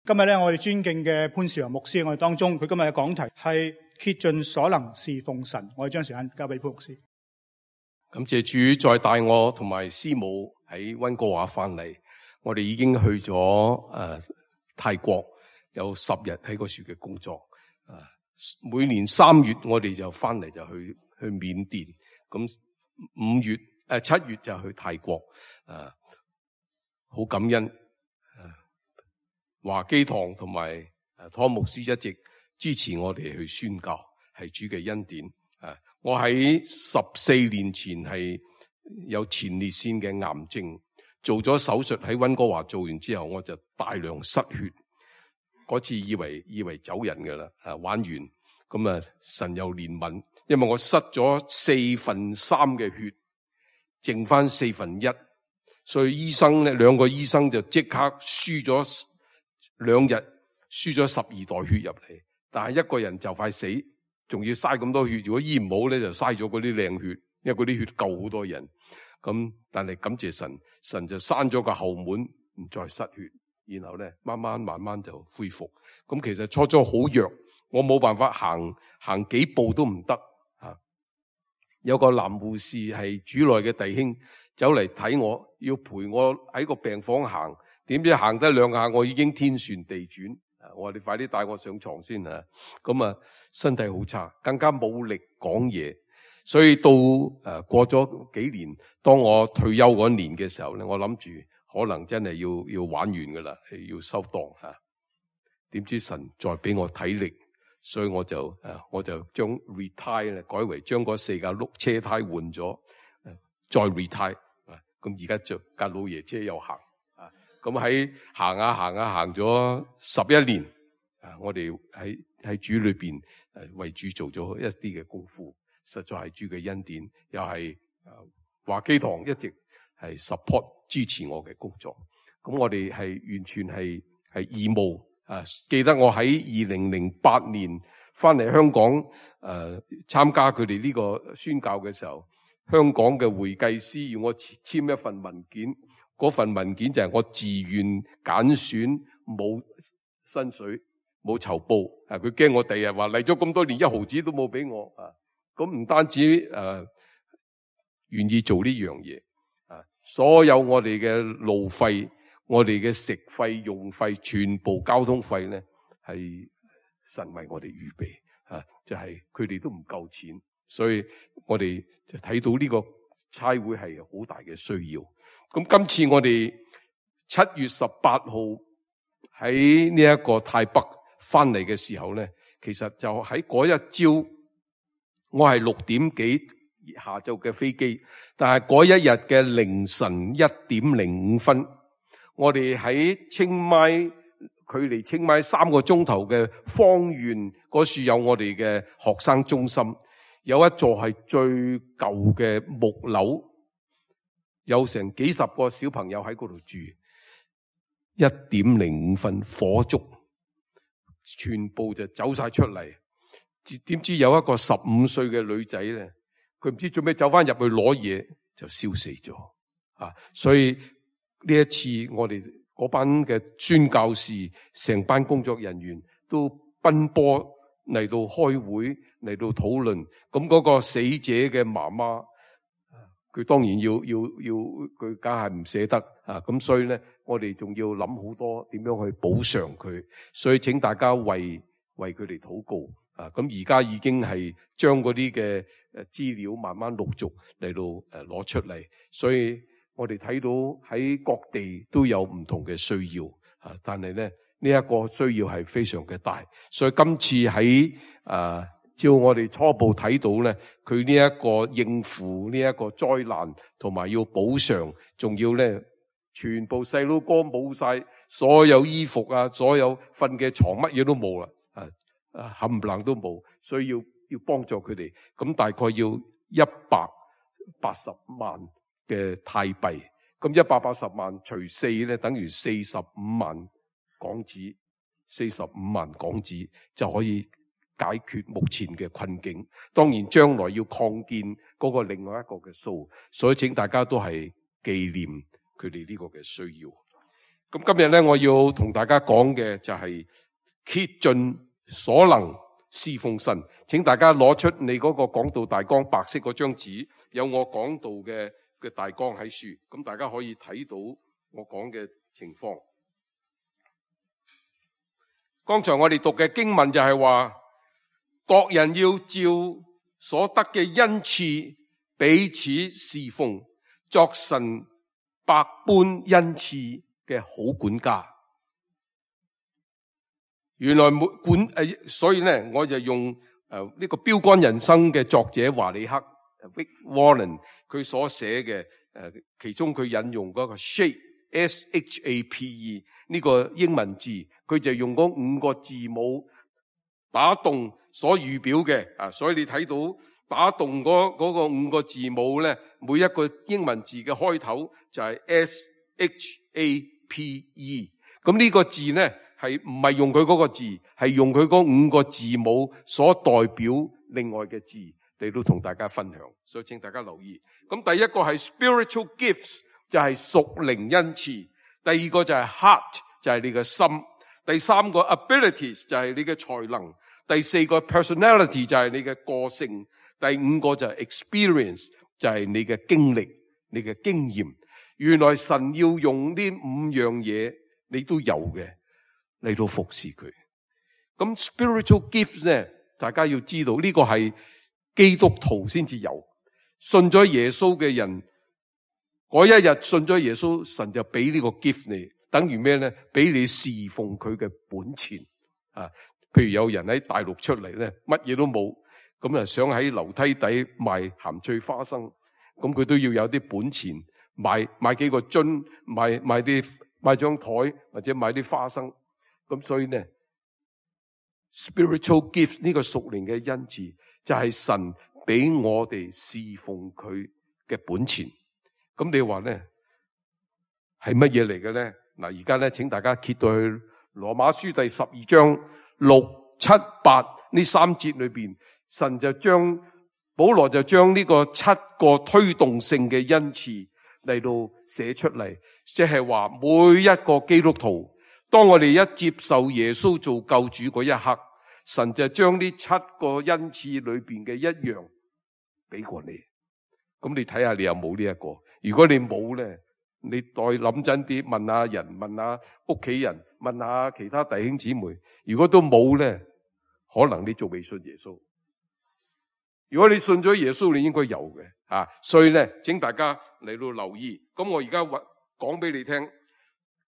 今日咧，我哋尊敬嘅潘兆陽牧師喺我哋當中，佢今日嘅講題係竭盡所能侍奉神。我哋將時間交俾潘牧師。感謝主再帶我同埋師母喺溫哥華翻嚟，我哋已經去咗泰國，有10日喺嗰處嘅工作。每年3月我哋就翻嚟就去緬甸，咁7月就去泰國。好感恩。華基堂同埋湯牧師一直支持我哋去宣教，係主嘅恩典。我喺14年前係有前列腺嘅癌症，做咗手術喺溫哥華做完之後，我就大量失血。嗰次以為走人㗎啦，玩完咁神有憐憫，因為我失咗3/4嘅血，剩翻1/4，所以兩個醫生就即刻輸咗2日，輸咗12袋血入嚟，但係一個人就快死，仲要嘥咁多血。如果醫唔好咧，就嘥咗嗰啲靚血，因為嗰啲血救好多人。咁但係感謝神，神就閂咗個後門，唔再失血，然後咧慢慢就恢復。咁其實初好弱，我冇辦法行幾步都唔得。有個男護士係主內嘅弟兄走嚟睇我，要陪我喺個病房行。點知行得2下，我已經天旋地轉。我話你快啲帶我上床先啊！咁身體好差，更加冇力講嘢。所以到過咗幾年，當我退休嗰年嘅時候咧，我諗住可能真係要玩完噶啦，要收檔吓。點知神再俾我體力，所以我就將 retire 咧改為將嗰4架碌車胎換咗，再 retire。咁而家就架老爺車又行。咁喺行咗11年，我哋喺主裏邊為主做咗一啲嘅功夫，實在係主嘅恩典，又係華基堂一直係 support 支持我嘅工作。咁我哋係完全係義務。記得我喺2008年翻嚟香港參加佢哋呢個宣教嘅時候，香港嘅會計師要我簽一份文件。嗰份文件就係我自願揀選，冇薪水，冇酬報。佢驚我第日話嚟咗咁多年，1毫子都冇俾我。咁唔單止願意做呢樣嘢，所有我哋嘅路費、我哋嘅食費、用費、全部交通費咧，係神為我哋預備。就係佢哋都唔夠錢，所以我哋就睇到呢個差會係好大嘅需要。咁今次我哋7月18號喺呢一個泰北翻嚟嘅時候咧，其實就喺嗰一朝，我係6點幾下晝嘅飛機，但係嗰一日嘅凌晨1點05分，我哋喺清邁，距離清邁3個鐘頭嘅芳園嗰處有我哋嘅學生中心，有一座係最舊嘅木樓。有成幾十個小朋友喺嗰度住，1點05分火燭，全部就走晒出嚟。點知有一個15歲嘅女仔咧，佢唔知做咩走翻入去攞嘢，就燒死咗。所以呢一次我哋嗰班嘅宣教士，成班工作人員都奔波嚟到開會，嚟到討論。咁嗰個死者嘅媽媽，佢當然要佢梗係唔捨得咁所以咧，我哋仲要諗好多點樣去補償佢，所以請大家為佢哋禱告。咁而家已經係將嗰啲嘅資料慢慢陸續嚟到攞出嚟，所以我哋睇到喺各地都有唔同嘅需要，但係咧呢一個需要係非常嘅大，所以今次喺照我哋初步睇到咧，佢呢一個應付呢一個災難，同埋要補償，仲要咧全部細佬哥冇晒所有衣服所有瞓嘅床乜嘢都冇啦，冚唪唥都冇，所以要幫助佢哋。咁大概要180萬嘅泰幣，咁180萬除4咧，等於45萬港紙，45萬港紙就可以解決目前嘅困境，當然將來要擴建嗰個另外一個嘅數，所以請大家都係紀念佢哋呢個嘅需要。咁今日咧，我要同大家講嘅就係竭盡所能侍奉神。請大家攞出你嗰個講道大綱，白色嗰張紙，有我講道嘅大綱喺書，咁大家可以睇到我講嘅情況。剛才我哋讀嘅經文就係話，各人要照所得嘅恩賜彼此侍奉，作神百般恩賜嘅好管家。原來所以咧，我就用呢個標杆人生嘅作者華里克 Rick Warren 佢所寫嘅其中佢引用嗰個 shape SHAPE 呢個英文字，佢就用嗰5個字母打動所預表嘅所以你睇到打動嗰個5個字母咧，每一個英文字嘅開頭就係 SHAPE。咁呢個字咧係唔係用佢嗰個字，係用佢嗰5個字母所代表另外嘅字嚟到同大家分享，所以請大家留意。咁第一個係 spiritual gifts， 就係屬靈恩賜；第二個就係 heart， 就係你嘅心；第三個 abilities， 就係你嘅才能；第四個 personality， 就係你嘅個性；第5個就係 experience， 就係你嘅經歷、你嘅經驗。原來神要用呢5樣嘢，你都有嘅嚟到服侍佢。咁 spiritual gifts 咧，大家要知道呢個係基督徒先至有。信咗耶穌嘅人，嗰一日信咗耶穌，神就俾呢個 gift 你，等於咩咧？俾你侍奉佢嘅本錢啊！譬如有人喺大陸出嚟咧，乜嘢都冇，咁想喺樓梯底賣鹹脆花生，咁佢都要有啲本錢，買幾個樽，買張台或者買啲花生。咁所以咧 spiritual gift 呢個屬靈嘅恩賜就係神俾我哋侍奉佢嘅本錢。咁你話咧係乜嘢嚟嘅咧？嗱，而家咧請大家揭到去羅馬書第12章6、7、8呢3節裏邊，神就保羅就將呢個7個推動性嘅恩賜嚟到寫出嚟，即係話每一個基督徒，當我哋一接受耶穌做救主嗰一刻，神就將呢7個恩賜裏邊嘅一樣俾過你。咁你睇下你有冇呢一個？如果你冇咧，你再諗真啲，問下人，問下屋企人，問下其他弟兄姊妹。如果都冇咧，可能你仲未信耶穌。如果你信咗耶穌，你應該有嘅所以咧，請大家嚟到留意。咁我而家講俾你聽，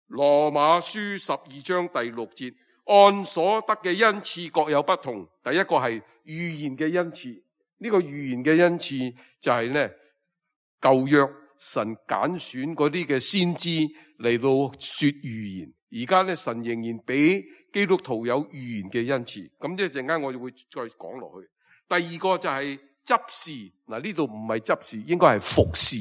羅馬書12章第6節，按所得嘅恩賜各有不同。第一個係預言嘅恩賜，呢個預言嘅恩賜就係咧舊約神揀選嗰啲嘅先知嚟到說預言。而家咧神仍然俾基督徒有預言嘅恩賜。咁一陣間我就會再講落去。第二個就係執事，嗱呢度唔係執事，應該係服侍，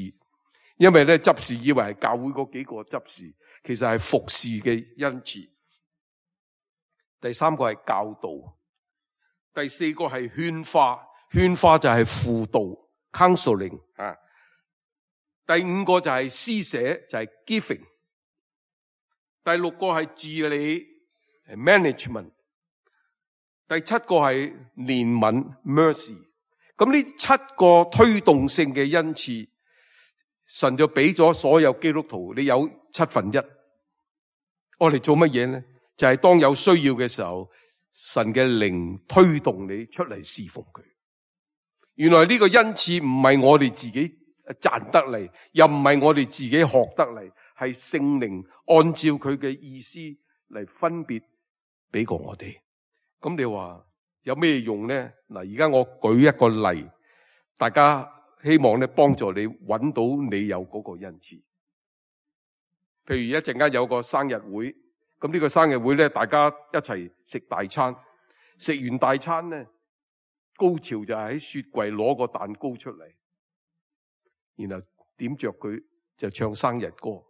因為咧執事以為係教會嗰幾個執事，其實係服侍嘅恩賜。第三個係教導，第四個係勸化，勸化就係輔導 counseling 第5個就係施捨，就係 giving。第6個係治理 management。第7個係憐憫 mercy。咁呢7個推動性嘅恩賜，神就俾咗所有基督徒，你有1/7。我哋做乜嘢呢？就係當有需要嘅時候，神嘅靈推動你出嚟侍奉佢。原來呢個恩賜唔係我哋自己賺得嚟，又唔係我哋自己學得嚟，係聖靈按照佢嘅意思嚟分別俾過我哋。咁你話有咩用呢？嗱，而家我舉一個例，大家希望咧幫助你揾到你有嗰個恩賜。譬如一陣間有個生日會，咁呢個生日會咧，大家一齊食大餐，食完大餐咧，高潮就係喺雪櫃攞個蛋糕出嚟，然後點着佢就唱生日歌。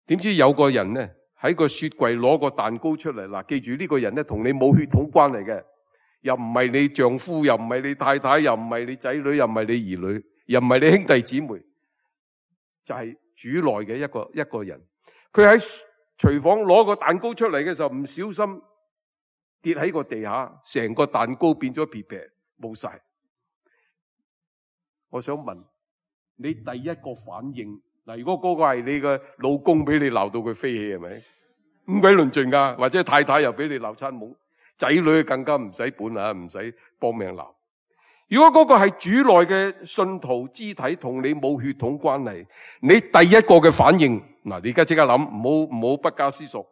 點知有個人咧喺個雪櫃攞個蛋糕出嚟，嗱，記住呢個人咧同你冇血統關係嘅，又唔係你丈夫，又唔係你太太，又唔係你仔女，又唔係你兒女，又唔係你兄弟姊妹，就係主內嘅一個人。佢喺廚房攞個蛋糕出嚟嘅時候，唔小心跌喺個地下，成個蛋糕變咗皮皮，冇晒。我想問你第一個反應，嗱，如果嗰個係你嘅老公俾你鬧到佢飛起，係咪咁鬼論盡噶？或者太太又俾你鬧餐懵，仔女更加唔使本啊，唔使幫命鬧。如果嗰個係主內嘅信徒肢體，同你冇血統關係，你第一個嘅反應，嗱，你而家即刻諗，唔好不加思索，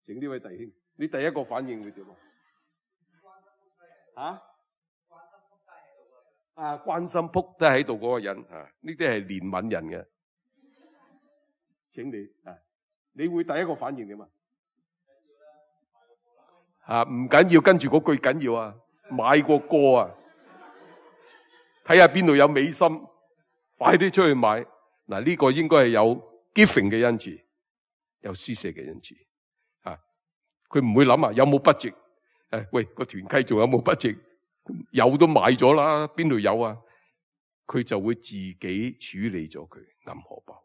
請呢位弟兄，你第一個反應會點啊？關心仆低喺度嗰個人啊，呢啲係憐憫人嘅，請你你會第一個反應點啊？唔緊要，跟住嗰句緊要啊，買個歌啊，睇下邊度有美心，快啲出去買。嗱，呢個應該係有 giving 嘅恩賜，有施捨嘅恩賜啊。佢唔會諗有冇budget，喂，個團契仲有冇budget？有都買咗啦，邊度有啊？佢就會自己處理咗佢銀荷包。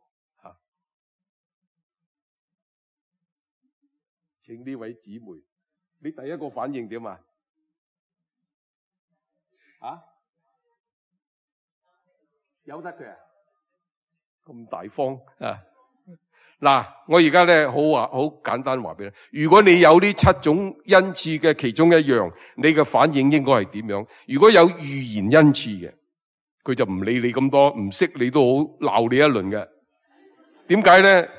請呢位姊妹，你第一個反應點啊？由得佢啊？咁大方啊！嗱，我而家咧好簡單話俾你，如果你有呢7種恩賜嘅其中一樣，你嘅反應應該係點樣？如果有預言恩賜嘅，佢就唔理你咁多，唔識你都好，鬧你一輪嘅。點解咧？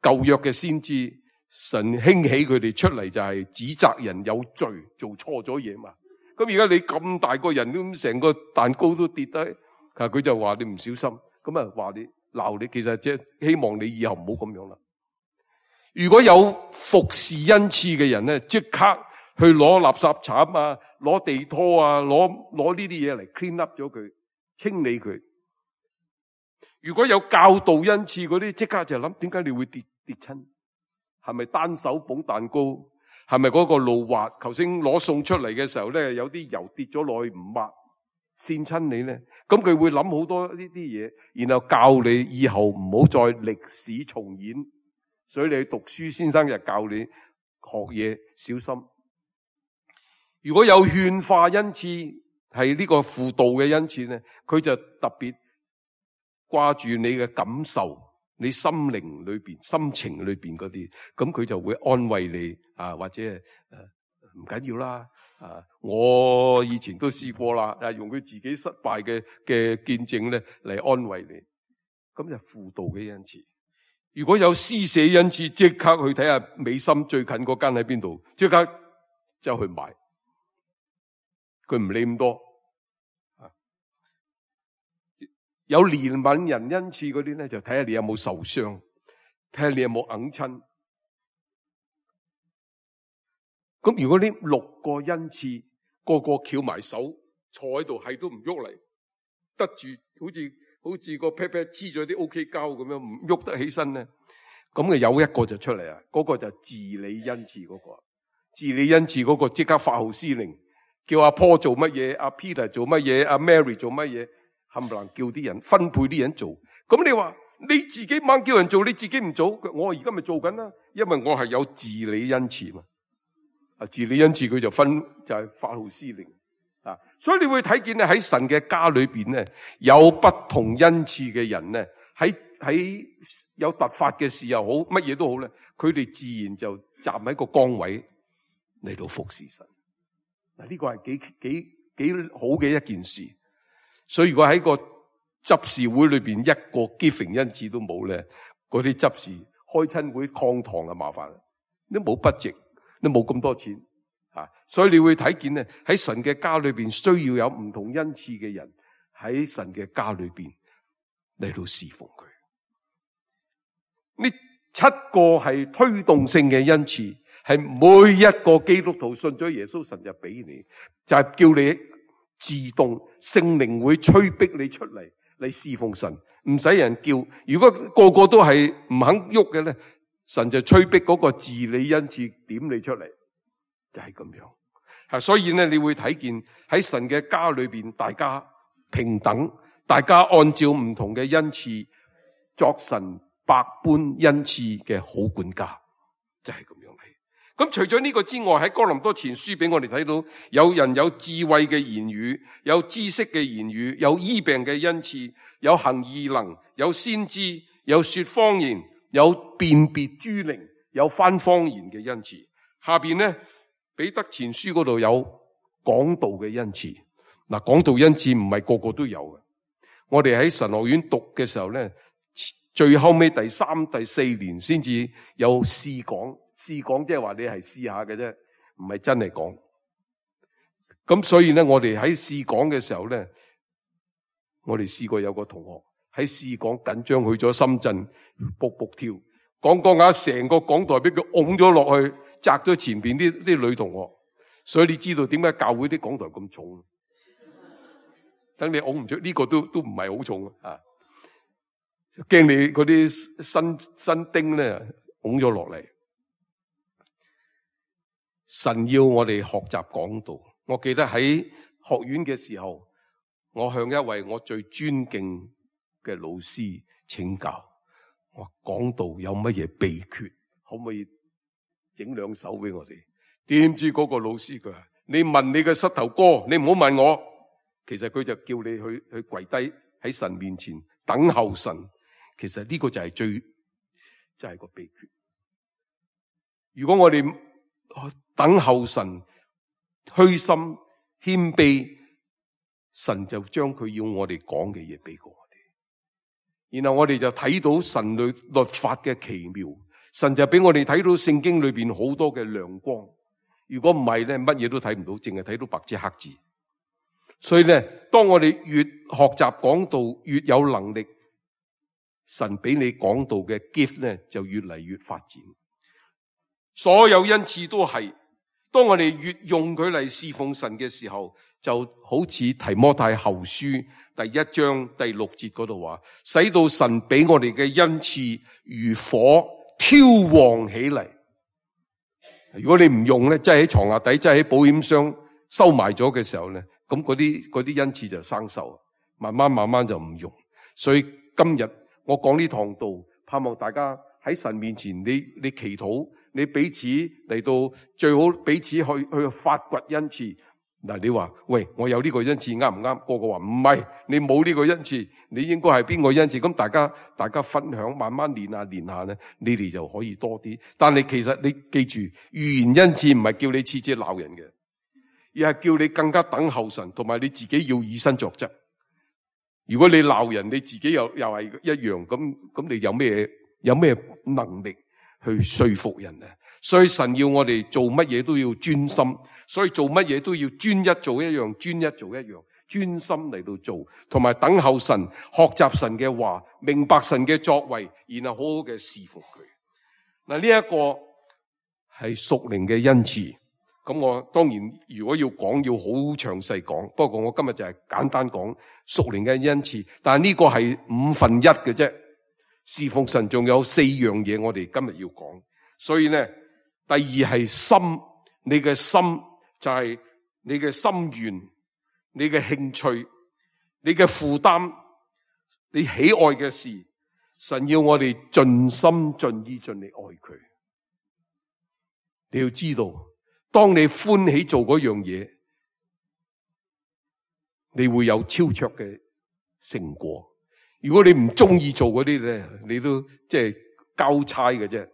舊約嘅先知，神興起佢哋出嚟就係指責人有罪，做錯咗嘢嘛。咁而家你咁大個人，咁成個蛋糕都跌低，佢就話你唔小心，咁啊話你鬧你，其實即係希望你以後唔好咁樣啦。如果有服侍恩賜嘅人咧，即刻去攞垃圾鏟啊，攞地拖啊，攞呢啲嘢嚟 clean up 咗佢，清理佢。如果有教導恩賜嗰啲，即刻就諗，點解你會跌親？係咪單手捧蛋糕？係咪嗰個路滑？頭先攞餸出嚟嘅時候咧，有啲油跌咗落去唔抹，跣親你咧？咁佢會諗好多呢啲嘢，然後教你以後唔好再歷史重演。所以你去讀書，先生就教你學嘢小心。如果有勸化恩賜，係呢個輔導嘅恩賜咧，佢就特別掛住你嘅感受，你心靈裏邊、心情裏邊嗰啲，咁佢就會安慰你或者唔緊要啦。我以前都試過啦，用佢自己失敗嘅見證咧嚟安慰你，咁就輔導嘅恩賜。如果有施捨恩賜，即刻去睇下美心最近嗰間喺邊度，即刻就去買，佢唔理咁多。有憐憫人恩賜嗰啲咧，就睇下你有冇受傷，睇下你有冇揞親。咁如果呢6個恩賜個個翹埋手坐喺度，係都唔喐嚟，得住好似個 pat pat 黐咗啲 OK 膠咁樣，唔喐得起身咧，咁嘅有一個就出嚟啊！嗰個就治理恩賜嗰個，治理恩賜嗰個即刻發號施令，叫阿 Paul 做乜嘢，阿 Peter 做乜嘢，阿 Mary 做乜嘢。冚唪唥叫啲人分配啲人做，咁你話你自己猛叫人做，你自己唔做，我而家咪做緊啦，因為我係有治理恩賜嘛。治理恩賜佢就係發號施令啊，所以你會睇見咧，喺神嘅家裏邊咧，有不同恩賜嘅人咧，喺有突發嘅事又好，乜嘢都好咧，佢哋自然就站喺個崗位嚟到服侍神。嗱，呢個係幾好嘅一件事。所以如果喺個執事會裏邊一個 giving 恩賜都冇咧，嗰啲執事開親會抗堂啊，麻煩啦，都冇budget，都冇咁多錢所以你會睇見咧，喺神嘅家裏邊需要有唔同恩賜嘅人喺神嘅家裏邊嚟到侍奉佢。呢7個係推動性嘅恩賜，係每一個基督徒信咗耶穌，神就俾你，就係叫你自動聖靈會催逼你出嚟侍奉神，唔使人叫。如果個個都係唔肯喐嘅咧，神就催逼嗰個治理恩賜點你出嚟，就係咁樣。所以咧，你會睇見喺神嘅家裏邊，大家平等，大家按照唔同嘅恩賜作神百般恩賜嘅好管家，就係咁樣嚟。咁除咗呢個之外，喺哥林多前書俾我哋睇到，有人有智慧嘅言語，有知識嘅言語，有醫病嘅恩賜，有行異能，有先知，有說方言，有辨別諸靈，有翻方言嘅恩賜。下邊呢，彼得前書嗰度有講道嘅恩賜。嗱，講道恩賜唔係個個都有嘅。我哋喺神學院讀嘅時候咧，最後尾第3、第4年先至有試講。試講即係話你係試下嘅啫，唔係真係講。咁所以咧，我哋喺試講嘅時候咧，我哋試過有個同學喺試講緊張去咗深圳卜卜跳，講下成個講台俾佢拱咗落去，砸咗前邊啲女同學。所以你知道點解教會啲講台咁重？等你拱唔出呢個都唔係好重啊！驚你嗰啲新丁咧拱咗落嚟。神要我哋學習講道。我記得喺學院嘅時候，我向一位我最尊敬嘅老師請教，我講道有乜嘢秘訣，可唔可以整2首俾我哋？點知嗰個老師佢話：你問你嘅膝頭哥，你唔好問我。其實佢就叫你去跪低喺神面前等候神。其實呢個就係就係個秘訣。如果我哋等候神，虛心謙卑，神就將佢要我哋講嘅嘢俾過我哋，然後我哋就睇到神律法嘅奇妙，神就俾我哋睇到聖經裏邊好多嘅亮光。如果唔係咧，乜嘢都睇唔到，淨係睇到白紙黑字。所以咧，當我哋越學習講道，越有能力，神俾你講道嘅 gift 咧就越嚟越發展。所有恩賜都係，當我哋越用佢嚟侍奉神嘅時候，就好似提摩太後書第1章第6節嗰度話，使到神俾我哋嘅恩賜如火挑旺起嚟。如果你唔用咧，即係喺床下底，即係喺保險箱收埋咗嘅時候咧，咁嗰啲恩賜就生鏽，慢慢就唔用。所以今日我講呢堂道，盼望大家喺神面前，你祈禱。你彼此嚟到，最好彼此去發掘恩賜。嗱，你話喂，我有呢個恩賜啱唔啱？個個話唔係，你冇呢個恩賜，你應該係邊個恩賜？咁大家分享，慢慢練下咧，你哋就可以多啲。但係其實你記住，預言恩賜唔係叫你次次鬧人嘅，而係叫你更加等候神，同埋你自己要以身作則。如果你鬧人，你自己又係一樣，咁你有咩能力去說服人啊？所以神要我哋做乜嘢都要專心，所以做乜嘢都要專一做一樣，專心嚟到做，同埋等候神，學習神嘅話，明白神嘅作為，然後好好嘅侍奉佢。嗱，呢一個係屬靈嘅恩賜。咁我當然如果要講，要好詳細講，不過我今日就係簡單講屬靈嘅恩賜。但係呢個係1/5嘅啫。侍奉神仲有4樣嘢我哋今日要講。所以咧，第2係心，你嘅心就係你嘅心願，你嘅興趣，你嘅負擔，你喜愛嘅事。神要我哋盡心盡意盡力愛佢。你要知道，當你歡喜做嗰樣嘢，你會有超卓嘅成果。如果你唔中意做嗰啲咧，你都即係交差嘅啫。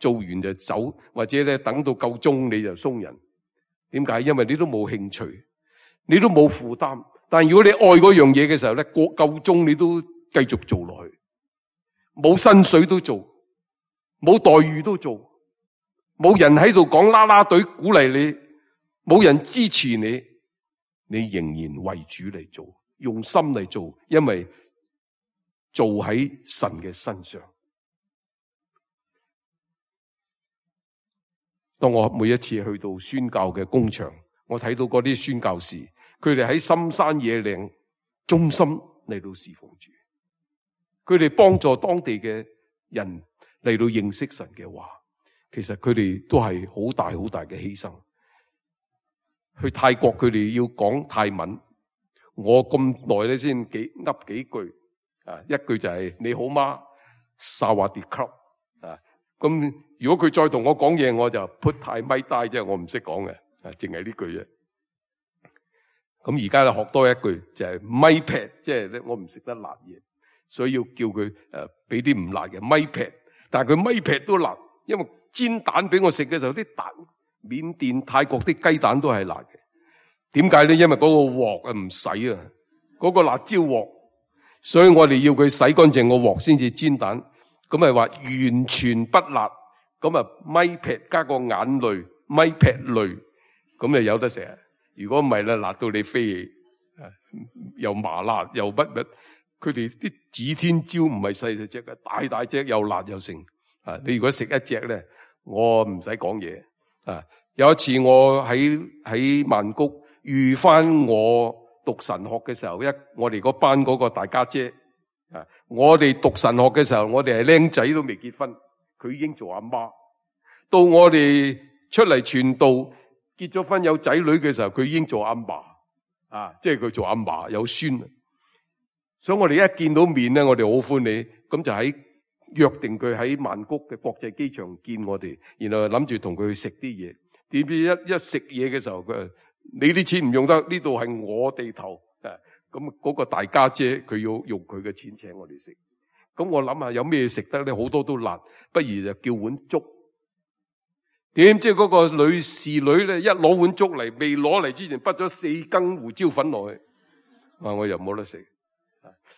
做完就走，或者咧等到夠鐘你就鬆人。點解？因為你都冇興趣，你都冇負擔。但如果你愛嗰樣嘢嘅時候咧，夠鐘你都繼續做落去，冇薪水都做，冇待遇都做，冇人喺度講啦啦隊鼓勵你，冇人支持你，你仍然為主嚟做，用心嚟做，因為做喺神嘅身上。當我每一次去到宣教嘅工場，我睇到嗰啲宣教士，佢哋喺深山野嶺忠心嚟到侍奉主，佢哋幫助當地嘅人嚟到認識神嘅話，其實佢哋都係好大嘅犧牲。去泰國佢哋要講泰文，我咁耐咧先噏幾句，一句就係你好嗎，沙瓦迪克啊。咁如果佢再同我講嘢，我就 put 太咪呆，即係我唔識講嘅，淨係呢句啫。咁而家咧學多一句就係咪劈，即係咧我唔食得辣嘢，所以要叫佢俾啲唔辣嘅咪劈。但係佢咪劈都辣，因為煎蛋俾我食嘅時候，啲蛋緬甸、泰國啲雞蛋都係辣嘅。點解咧？因為嗰個鑊唔洗啊，嗰個辣椒鑊，所以我哋要佢洗乾淨個鑊先至煎蛋。咁咪話完全不辣，咁啊咪劈加個眼淚，咪劈淚，咁就有得食。如果唔係咧，辣到你飛起，又麻辣又乜乜。佢哋啲指天椒唔係細細隻嘅，大大隻又辣又剩。你如果食一隻咧，我唔使講嘢。有一次我喺曼谷遇翻我讀神學嘅時候，我哋嗰班嗰個大家姐。我哋讀神學嘅時候，我哋係僆仔都未結婚，佢已經做阿媽。到我哋出嚟傳道，結咗婚有仔女嘅時候，佢已經做阿嫲。即係佢做阿嫲有孫。所以我哋一見到面咧，我哋好歡喜，咁就約定佢喺曼谷嘅國際機場見我哋，然後諗住同佢去食啲嘢。點知一食嘢嘅時候，佢話你啲錢唔用得，呢度係我地頭。咁嗰個大家姐佢要用佢嘅錢請我哋食。咁我諗下有咩食得咧？好多都辣，不如就叫碗粥。點知嗰個女侍女咧，一攞碗粥嚟，未攞嚟之前，滗咗4羹胡椒粉落去。我又冇得食。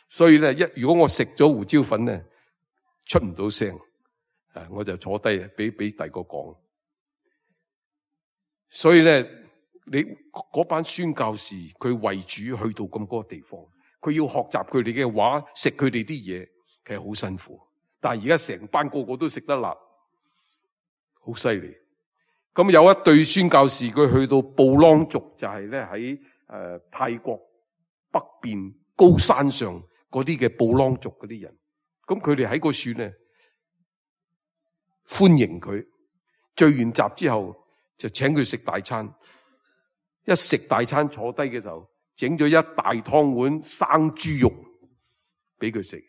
所以咧，如果我食咗胡椒粉咧，出唔到聲，我就坐低俾第二個講。所以咧，你嗰班宣教士，佢為主去到咁多地方，佢要學習佢哋嘅話，食佢哋啲嘢，其實好辛苦。但係而家成班個個都食得辣，好犀利。咁有一對宣教士，佢去到布朗族，就係咧喺泰國北邊高山上嗰啲嘅布朗族嗰啲人。咁佢哋喺個樹咧歡迎佢，聚完集之後就請佢食大餐。一食大餐坐低嘅時候，整咗一大湯碗生豬肉俾佢食。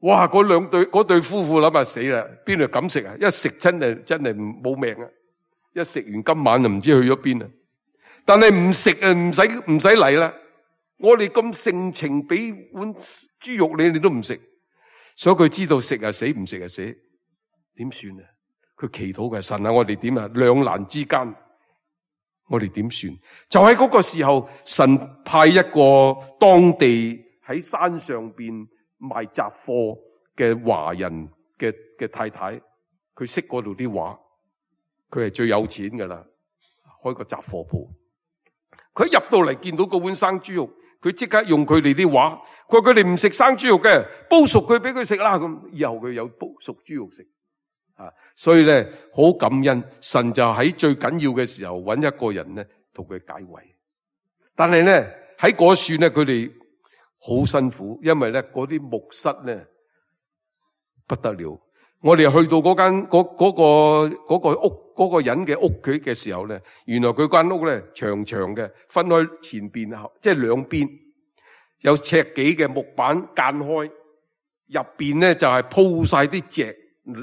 哇！嗰對夫婦諗下死啦，邊度敢食啊？一食真係冇命啊！一食完今晚就唔知去咗邊啊！但係唔食啊，唔使嚟啦。我哋咁盛情俾碗豬肉你都唔食，所以佢知道食啊死，唔食啊死，點算啊？佢祈禱嘅神啊，我哋點啊？兩難之間，我哋點算？就喺嗰個時候，神派一個當地喺山上邊賣雜貨嘅華人嘅太太，佢識嗰度啲話，佢係最有錢噶啦，開個雜貨鋪。佢入到嚟見到嗰碗生豬肉，佢即刻用佢哋啲話，佢話佢哋唔食生豬肉嘅，煲熟佢俾佢食啦。咁以後佢有煲熟豬肉食。所以咧好感恩，神就喺最緊要嘅時候揾一個人咧同佢解圍。但係咧喺嗰處咧，佢哋好辛苦，因為咧嗰啲木室咧不得了。我哋去到嗰間嗰個屋嗰個人嘅屋企嘅時候咧，原來佢間屋咧長長嘅，分開前邊後，即係兩邊有尺幾嘅木板間開，入邊咧就係鋪晒啲席，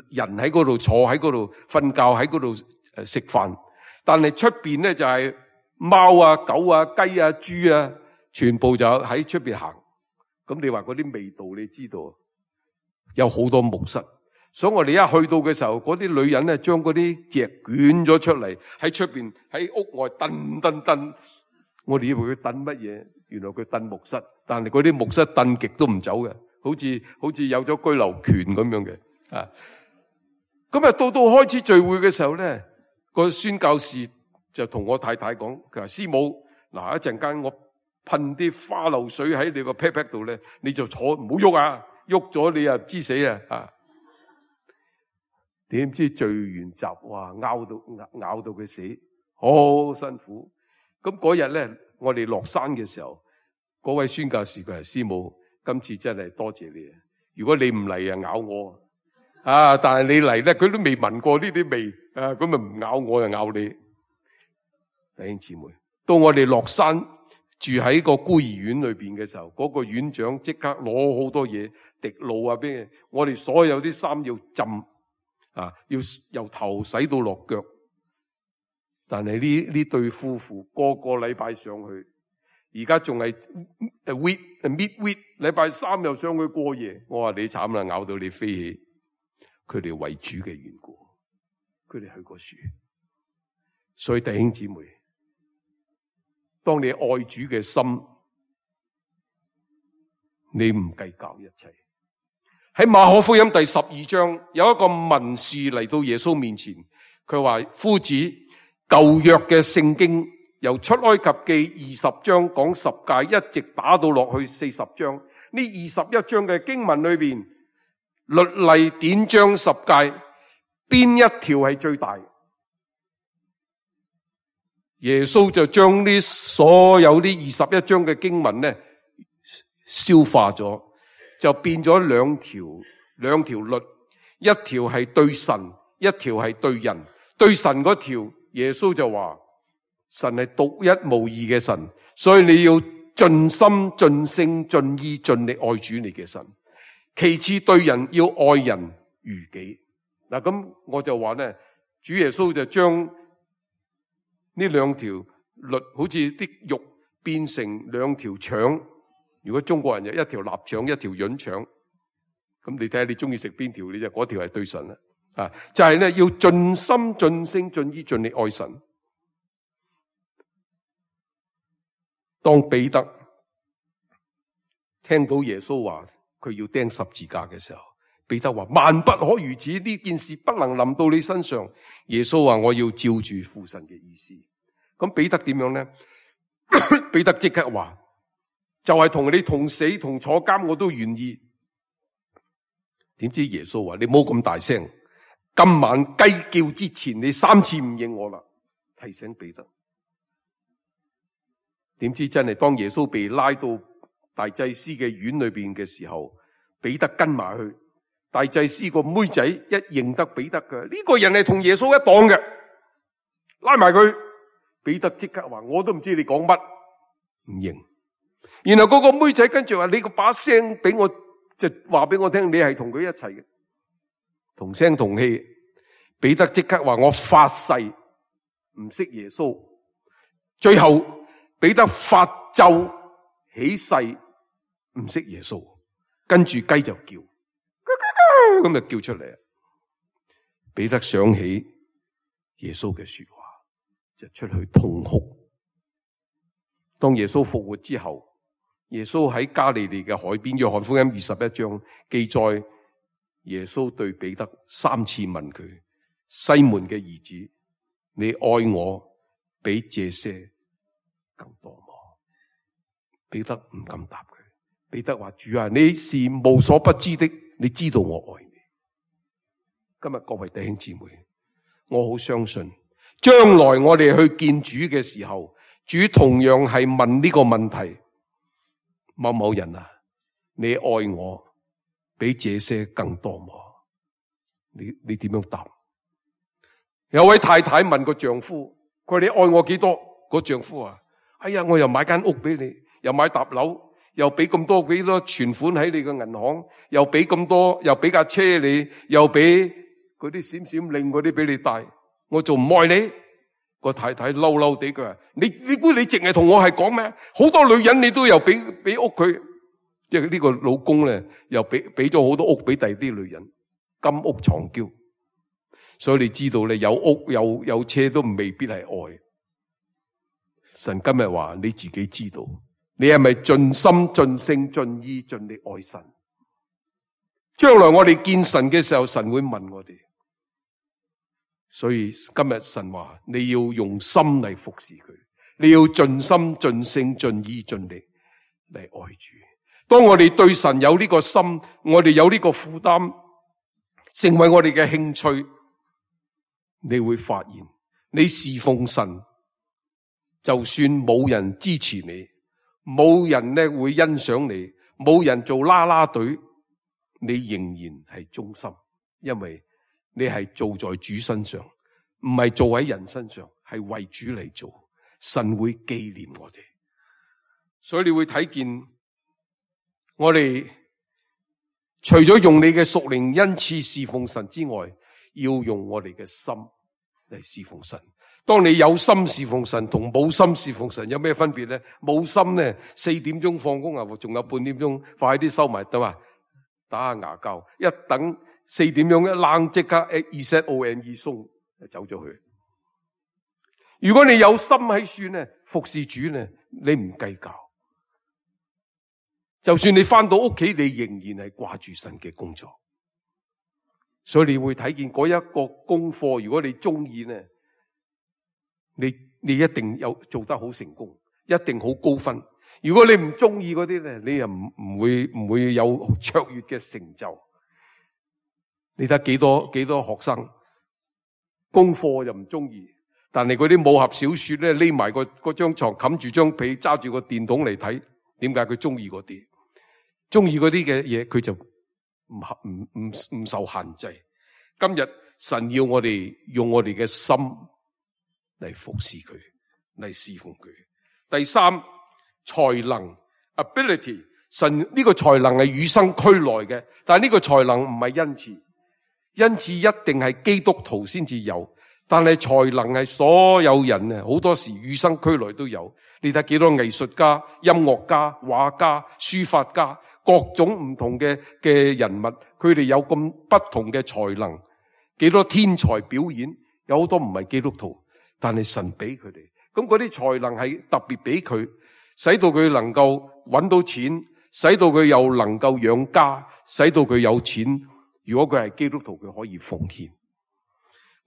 人喺嗰度坐，喺嗰度瞓覺，喺嗰度食飯。但係出邊咧就係貓啊、狗啊、雞啊、豬啊，全部就喺出邊行。咁你話嗰啲味道，你知道有好多木室。所以我哋一去到嘅時候，嗰啲女人咧將嗰啲席捲咗出嚟，喺出邊喺屋外蹬。我哋以為佢蹬乜嘢，原來佢蹬木室。但係嗰啲木室蹬極都唔走嘅，好似有咗居留權咁樣嘅。咁啊到開始聚會嘅時候咧，個宣教士就同我太太講，佢話師母，嗱一陣間我噴啲花露水喺你個 pat 度咧，你就坐唔好喐啊，喐咗你啊知死啊！點知聚完集，哇，咬到佢死，好辛苦。咁嗰日咧，我哋落山嘅時候，嗰位宣教士佢係師母，今次真係多謝你啊！如果你唔嚟啊，咬我啊！但係你嚟咧，佢都未聞過呢啲味啊，咁咪唔咬我就咬你。弟兄姊妹，到我哋落山住喺個孤兒院裏邊嘅時候，嗰個院長即刻攞好多嘢滴露啊，俾我哋所有啲衫要浸啊，要由頭洗到落腳。但係呢對夫婦個禮拜上去，而家仲係midweek 禮拜三又上去過夜。我話你慘啦，咬到你飛起。佢哋為主嘅緣故，佢哋去過樹。所以弟兄姊妹，當你愛主嘅心，你唔計較一切。喺馬可福音第12章，有一個文士嚟到耶穌面前，佢話：夫子，舊約嘅聖經由出埃及記20章講十誡，一直打到落去40章。呢21章嘅經文裏邊，律例典章十誡，邊一條係最大？耶穌就將呢所有呢21章嘅經文呢消化咗，就變咗兩條律，一條係對神，一條係對人。對神嗰條，耶穌就話神係獨一無二嘅神，所以你要盡心盡性盡意盡力愛主你嘅神。其次對人要愛人如己。嗱，咁我就話呢，主耶穌就將呢兩條律好似啲肉變成兩條腸。如果中國人有一條臘腸，一條潤腸，咁你睇下你中意食邊條，你就嗰條係對神啦。啊，就係呢，要盡心盡性盡意盡力愛神。當彼得聽到耶穌話佢要釘十字架嘅時候，彼得話萬不可如此，呢件事不能臨到你身上。耶穌話我要照住父神嘅意思。咁彼得點樣呢？彼得即刻話就係同你同死同坐監我都願意。點知耶穌話你唔好咁大聲，今晚雞叫之前你3次唔認我啦。提醒彼得。點知真係當耶穌被拉到大祭司嘅院裏邊嘅時候，彼得跟埋去。大祭司個妹仔一認得彼得嘅，呢個人係同耶穌一黨嘅，拉埋佢。彼得即刻話我都唔知你講乜，唔認。然後嗰個妹仔跟住話你個把聲俾我，就話俾我聽你係同佢一齊嘅，同聲同氣。彼得即刻話我發誓唔識耶穌。最後彼得發咒起誓唔識耶穌，跟住雞就叫，咁就叫出嚟。彼得想起耶穌嘅說話，就出去痛哭。當耶穌復活之後，耶穌喺加利利嘅海邊，約翰福音21章記載，耶穌對彼得3次問佢：西門嘅兒子，你愛我比這些更多麼？彼得唔敢答佢。彼得話：主啊，你是無所不知的，你知道我愛你。今日各位弟兄姊妹，我好相信將來我哋去見主嘅時候，主同樣係問呢個問題：某某人啊，你愛我比這些更多麼？你點樣答？有位太太問個丈夫，佢話你愛我幾多？個丈夫啊，哎呀，我又買間屋俾你，又買搭樓，又俾咁多幾多存款喺你嘅銀行，又俾咁多，又俾架車你，又俾嗰啲閃閃令嗰啲俾你帶，我仲唔愛你？個太太嬲嬲地佢話：你估你淨係同我係講咩？好多女人你都又俾屋佢，即係呢個老公咧，又俾咗好多屋俾第二啲女人，金屋藏嬌。所以你知道咧，有屋有車都未必係愛。神今日話你自己知道，你係咪盡心盡性盡意盡力愛神？將來我哋見神嘅時候，神會問我哋。所以今日神話你要用心嚟服侍佢，你要盡心盡性盡意盡力嚟愛主。當我哋對神有呢個心，我哋有呢個負擔，成為我哋嘅興趣，你會發現你侍奉神，就算冇人支持你，冇人咧會欣賞你，冇人做啦啦隊，你仍然係忠心，因為你係做在主身上，唔係做喺人身上，係為主嚟做。神會紀念我哋。所以你會睇見我哋除咗用你嘅屬靈恩賜侍奉神之外，要用我哋嘅心嚟侍奉神。當你有心侍奉神同冇心侍奉神有咩分別咧？冇心咧，4點鐘放工啊，仲有半點鐘，快啲收埋得嘛，打下牙膠，一等4點鐘一冷即刻 EZONE 鬆走咗去。如果你有心喺處咧，服侍主咧，你唔計較。就算你翻到屋企，你仍然係掛住神嘅工作。所以你會睇見嗰一個功課，如果你中意咧，你一定有做得好成功，一定好高分。如果你唔中意嗰啲咧，你又唔會有卓越嘅成就。你睇幾多學生功課又唔中意，但係嗰啲武俠小說咧，匿埋嗰張床冚住張被，揸住個電筒嚟睇，點解佢中意嗰啲？中意嗰啲嘅嘢，佢就唔受限制。今日神要我哋用我哋嘅心嚟服侍佢，嚟侍奉佢。第三，才能 ability， 神呢個才能係與生俱來嘅，但係呢個才能唔係恩賜，恩賜一定係基督徒先至有，但係才能係所有人啊，好多時與生俱來都有。你睇幾多藝術家、音樂家、畫家、書法家，各種唔同嘅人物，佢哋有咁不同嘅才能，幾多天才表演，有好多唔係基督徒，但係神俾佢哋，咁嗰啲才能係特別俾佢，使到佢能夠搵到錢，使到佢又能夠養家，使到佢有錢。如果佢係基督徒，佢可以奉獻。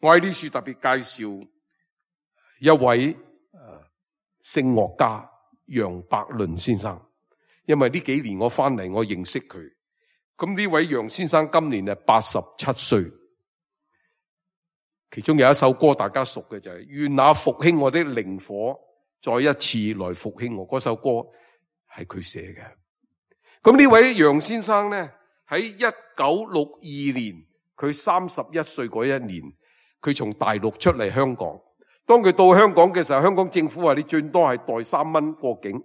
我喺呢處特別介紹一位聲樂家楊百倫先生，因為呢幾年我翻嚟，我認識佢。咁呢位楊先生今年係87歲，其中有一首歌大家熟嘅就係願那復興我的靈火再一次來復興我，嗰首歌係佢寫嘅。咁呢位楊先生咧，喺1962年，佢31歲嗰一年，佢從大陸出嚟香港。當佢到香港嘅時候，香港政府話你最多係袋3蚊過境。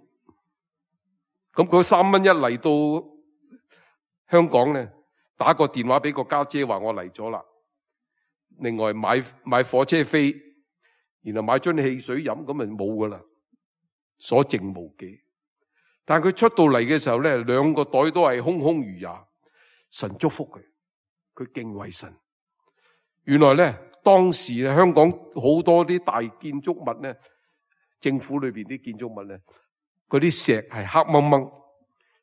咁嗰3蚊一嚟到香港咧，打個電話俾個家姐話我嚟咗啦。另外買火車飛，然後買樽汽水飲，咁咪冇噶啦，所剩無幾。但係佢出到嚟嘅時候咧，2個袋都係空空如也。神祝福佢，佢敬畏神。原來咧，當時香港好多啲大建築物咧，政府裏邊啲建築物咧，嗰啲石係黑掹掹，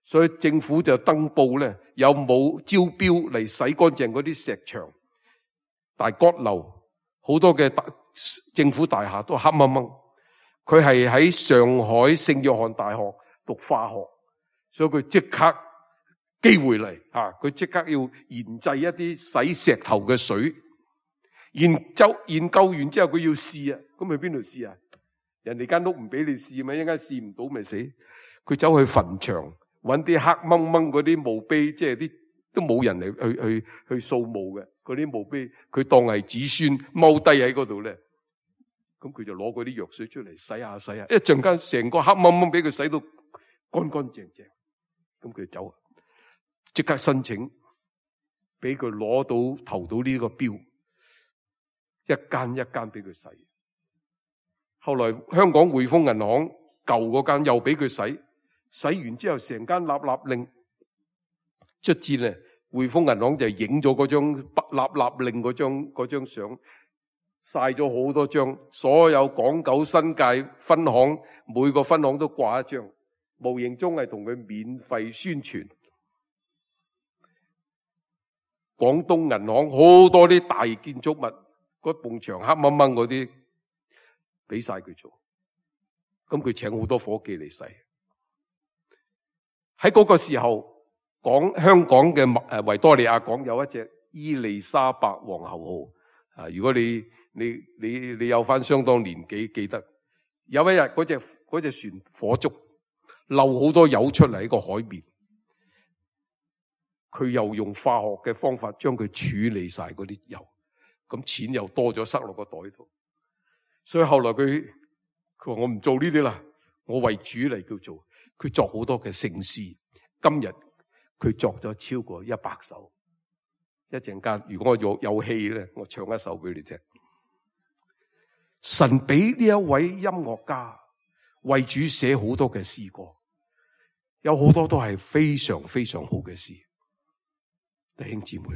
所以政府就登報咧，有冇招標嚟洗乾淨嗰啲石牆。大閣樓好多嘅政府大廈都黑掹掹。佢係喺上海聖約翰大學讀化學，所以佢即刻機會嚟吓，佢即刻要研製一啲洗石頭嘅水。研究完之後佢要試啊，咁去邊度試啊？人哋間屋唔俾你試嘛，一間試唔到咪死。佢走去墳場揾啲黑掹掹嗰啲墓碑，即係啲都冇人嚟去掃墓嘅嗰啲墓碑，佢當係子孫踎低喺嗰度咧。咁佢就攞嗰啲藥水出嚟洗下洗下，一陣間成個黑掹掹俾佢洗到乾乾淨淨。咁佢走，即刻申請俾佢攞到投到呢個標。一間一間俾佢洗，後來香港匯豐銀行舊嗰間又俾佢洗，洗完之後成間立立令，卒之咧匯豐銀行就影咗嗰張立立令嗰張相，晒咗好多張，所有港九新界分行每個分行都掛一張，無形中係同佢免費宣傳。廣東銀行好多啲大建築物。嗰埲牆黑掹掹嗰啲，俾晒佢做，咁佢請好多伙計嚟洗。喺嗰個時候，講香港嘅維多利亞港有一隻伊麗莎白皇后號啊！如果你有翻相當年紀，記得有一日嗰隻船火燭，漏好多油出嚟喺個海面，佢又用化學嘅方法將佢處理晒嗰啲油。咁錢又多咗，塞落個袋度，所以後來佢話我唔做呢啲啦，我為主嚟叫做。佢作好多嘅聖詩。今日佢作咗超過100首。一陣間如果我有戲咧，我唱一首俾你聽。神俾呢一位音樂家為主寫好多嘅詩歌，有好多都係非常非常好嘅詩。弟兄姊妹，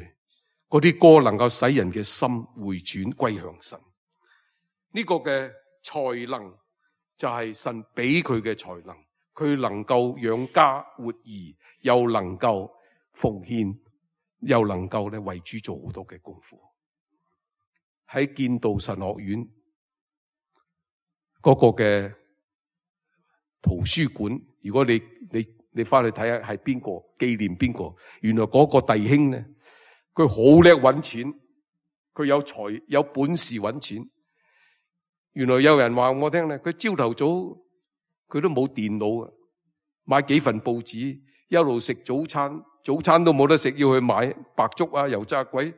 嗰啲歌能夠使人嘅心回轉歸向神。呢個嘅才能就係神俾佢嘅才能，佢能夠養家活兒，又能夠奉獻，又能夠咧為主做好多嘅功夫。喺建道神學院嗰個嘅圖書館，如果你翻去睇下係邊個紀念邊個，原來嗰個弟兄咧，佢好叻揾錢，佢有本事揾錢。原來有人話我聽咧，佢朝頭早佢都冇電腦啊，買幾份報紙，一路食早餐，早餐都冇得食，要去買白粥啊、油炸鬼。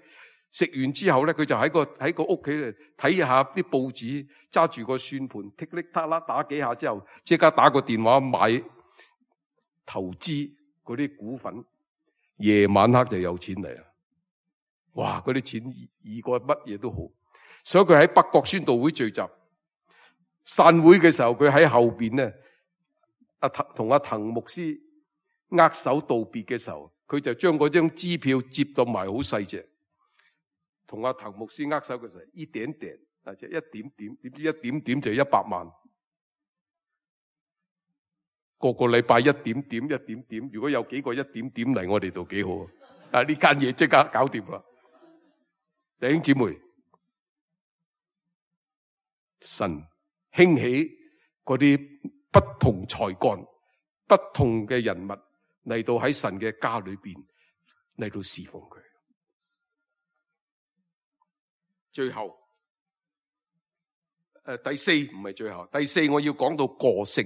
食完之後咧，佢就喺個屋企嚟睇下啲報紙，揸住個算盤，剔剔嗒啦打幾下之後，即刻打個電話買投資嗰啲股份，夜晚黑就有錢嚟啦！哇，嗰啲錢易過乜嘢都好。所以佢喺北角宣道會聚集，散會嘅時候，佢喺後邊咧，同阿滕牧師握手道別嘅時候，佢就將嗰張支票折到埋好細隻。同阿滕牧師握手嘅時候，一點點，即係一點點，點知一點點就100萬。個禮拜一點點，一點點，如果有幾個一點點嚟我哋度幾好啊！呢間嘢即刻搞掂啦！弟兄姊妹，神興起嗰啲不同才幹、不同嘅人物嚟到喺神嘅家裏邊嚟到侍奉佢。最後，第四唔係最後，第四我要講到個性。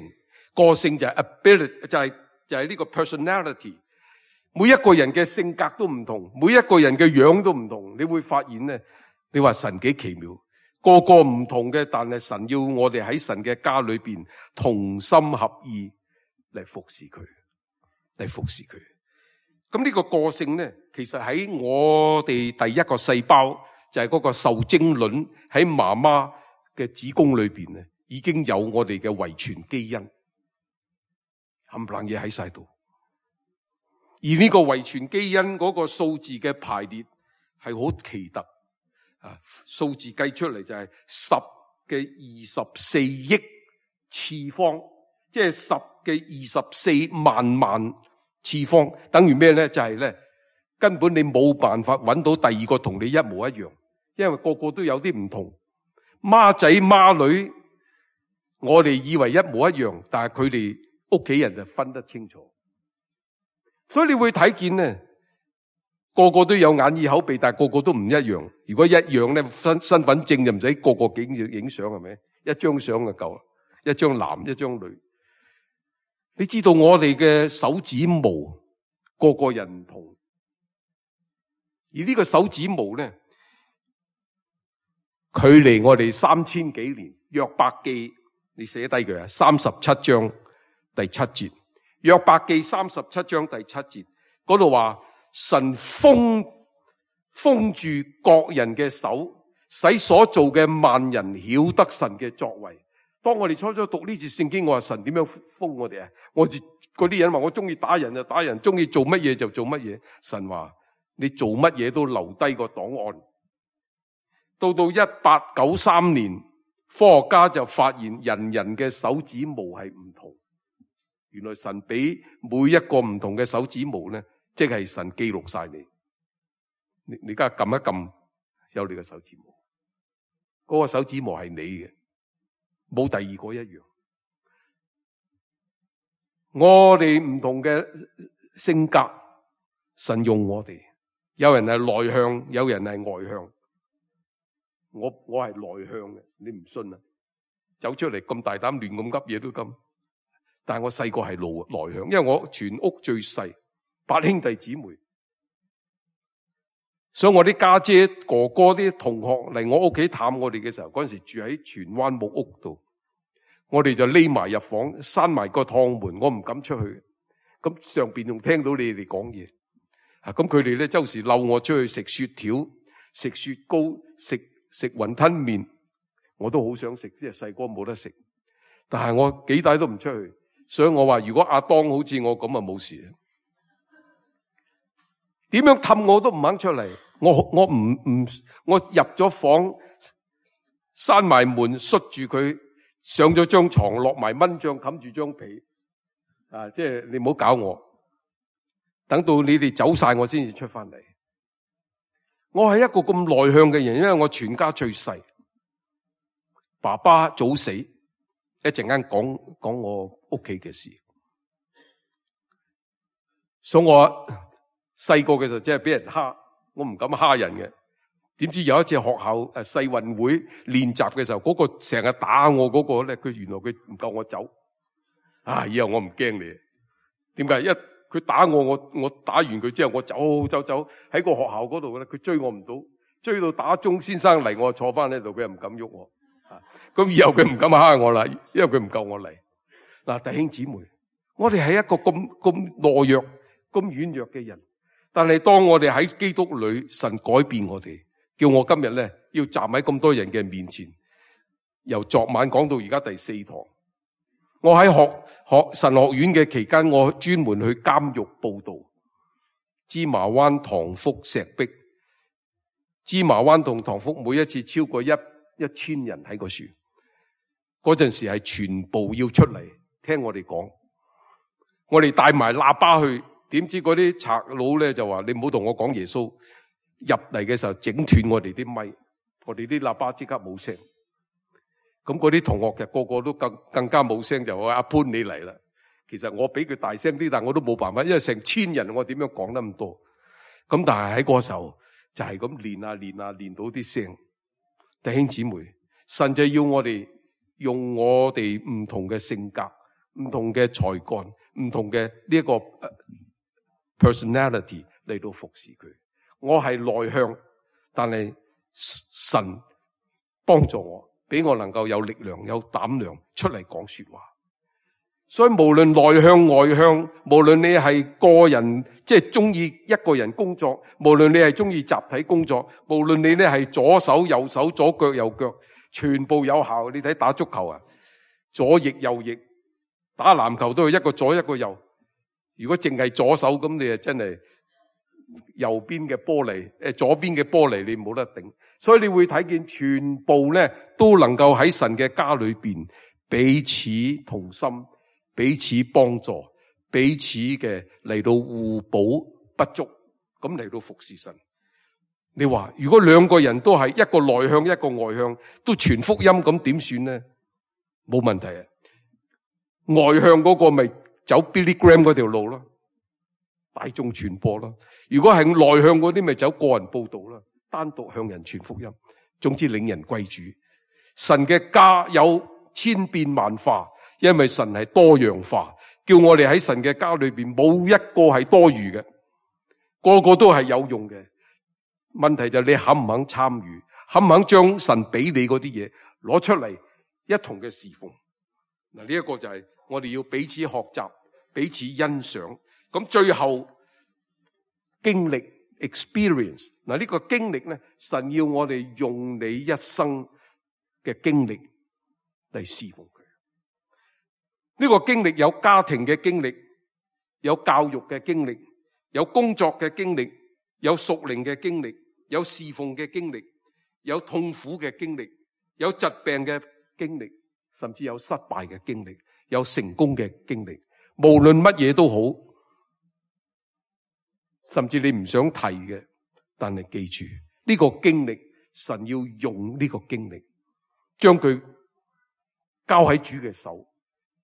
個性就係 ability，就係呢個 personality。每一個人嘅性格都唔同，每一個人嘅樣都唔同。你會發現咧，你話神幾奇妙，個個唔同嘅，但係神要我哋喺神嘅家裏邊同心合意嚟服侍佢，嚟服侍佢。咁呢個個性咧，其實喺我哋第一個細胞就係嗰個受精卵喺媽媽嘅子宮裏邊咧，已經有我哋嘅遺傳基因。冚唪唥嘢喺晒度，而呢個遺傳基因嗰個數字嘅排列係好奇特啊！數字計出嚟就係10嘅24億次方，即係10嘅24萬萬次方，等於咩咧？就係咧，根本你冇辦法揾到第二個同你一模一樣，因為個個都有啲唔同。孖仔孖女，我哋以為一模一樣，但係佢哋屋企人就分得清楚，所以你會睇見咧，個個都有眼耳口鼻，但係個個都唔一樣。如果一樣咧，身份證就唔使個個影相，係咪？一張相就夠啦，一張男一張女。你知道我哋嘅手指毛個個人唔同，而呢個手指毛咧，距離我哋3000幾年，約伯記你寫低佢啊，37章第7節，約伯記37章第7節嗰度話，神封住各人嘅手，使所做嘅萬人曉得神嘅作為。當我哋初初讀呢節聖經，我話神點樣封我哋啊？我哋嗰啲人話我中意打人就打人，中意做乜嘢就做乜嘢。神話你做乜嘢都留低個檔案。到1893年，科學家就發現人嘅手指毛係唔同。原來神俾每一個唔同嘅手指毛咧，即係神記錄晒你。你而家撳一撳，有你嘅手指毛，嗰個手指毛係你嘅，冇第二個一樣。我哋唔同嘅性格，神用我哋。有人係內向，有人係外向。我係內向嘅，你唔信啊？走出嚟咁大膽亂咁噏嘢都咁。但係我細個係內向，因為我全屋最細，8兄弟姊妹，所以我啲家姐哥哥啲同學嚟我屋企探我哋嘅時候，嗰陣時住喺荃灣木屋度，我哋就匿埋入房，閂埋個趟門，我唔敢出去。咁上邊仲聽到你哋講嘢，咁佢哋咧周時溜我出去食雪條、食雪糕、食雲吞麵，我都好想食，即係細個冇得食，但係我幾大都唔出去。所以我話如果阿當好似我咁啊冇事，點樣氹我都唔肯出嚟。我入咗房，閂埋門，閂住佢，上咗張床，落埋蚊帳冚住張被，即係你唔好搞我，等到你哋走晒我先至出翻嚟。我係一個咁內向嘅人，因為我全家最細，爸爸早死，一陣間講我屋企嘅事。所以我細個嘅時候真係俾人蝦，我唔敢蝦人嘅。點知有一次學校世運會練習嘅時候，嗰個成日打我嗰個咧，佢原來佢唔夠我走。以後我唔驚你。點解？佢打我打完佢之後，我走喺個學校嗰度咧，佢追我唔到，追到打鐘先生嚟，我坐翻喺度，佢又唔敢喐我。咁以後佢唔敢蝦我啦，因為佢唔夠我嚟。嗱，弟兄姊妹，我哋係一個咁懦弱、咁軟弱嘅人，但係當我哋喺基督裏，神改變我哋，叫我今日咧要站喺咁多人嘅面前，由昨晚講到而家第4堂。我喺學神學院嘅期間，我專門去監獄報道，芝麻灣、塘福、石壁。芝麻灣同塘福每一次超過1000人喺個樹，嗰陣時係全部要出嚟聽我哋講，我哋帶埋喇叭去，點知嗰啲賊佬咧就話你唔好同我講耶穌，入嚟嘅時候整斷我哋啲咪，我哋啲喇叭即刻冇聲。咁嗰啲同學嘅個個都更加冇聲，就話阿潘你嚟啦。其實我比佢大聲啲，但我都冇辦法，因為成1000人，我點樣講得咁多？咁但係喺嗰時候就係咁練到啲聲。弟兄姊妹，神就要我哋用我哋唔同嘅性格、唔同嘅才幹、唔同嘅呢一個 personality 嚟到服侍佢。我係內向，但係神幫助我。俾我能夠有力量、有膽量出嚟講說話。所以無論內向外向，無論你係個人即係中意一個人工作，無論你係中意集體工作，無論你咧係左手右手、左腳右腳，全部有效。你睇打足球啊，左翼右翼，打籃球都係一個左一個右。如果淨係左手咁，你啊真係右邊嘅玻璃，左邊嘅玻璃你冇得頂。所以你會睇見全部咧都能夠喺神嘅家裏邊彼此同心、彼此幫助、彼此嘅嚟到互補不足，咁嚟到服侍神。你話如果兩個人都係一個內向一個外向，都傳福音，咁點算呢？冇問題啊！外向嗰個咪走 Billy Graham 嗰條路咯，大眾傳播咯。如果係內向嗰啲，咪走個人報道咯。單獨向人傳福音，總之領人歸主。神嘅家有千變萬化，因為神係多樣化，叫我哋喺神嘅家裏邊冇一個係多餘嘅，個個都係有用嘅。問題就係你肯唔肯參與，肯唔肯將神俾你嗰啲嘢攞出嚟一同嘅侍奉。嗱，呢一個就係我哋要彼此學習、彼此欣賞。咁最後經歷 experience。嗱，呢個經歷咧，神要我哋用你一生嘅經歷嚟侍奉佢。呢個經歷有家庭嘅經歷，有教育嘅經歷，有工作嘅經歷，有屬靈嘅經歷，有侍奉嘅經歷，有痛苦嘅經歷，有疾病嘅經歷，甚至有失敗嘅經歷，有成功嘅經歷。無論乜嘢都好，甚至你唔想提嘅。但係記住呢個經歷，神要用呢個經歷，將佢交喺主嘅手，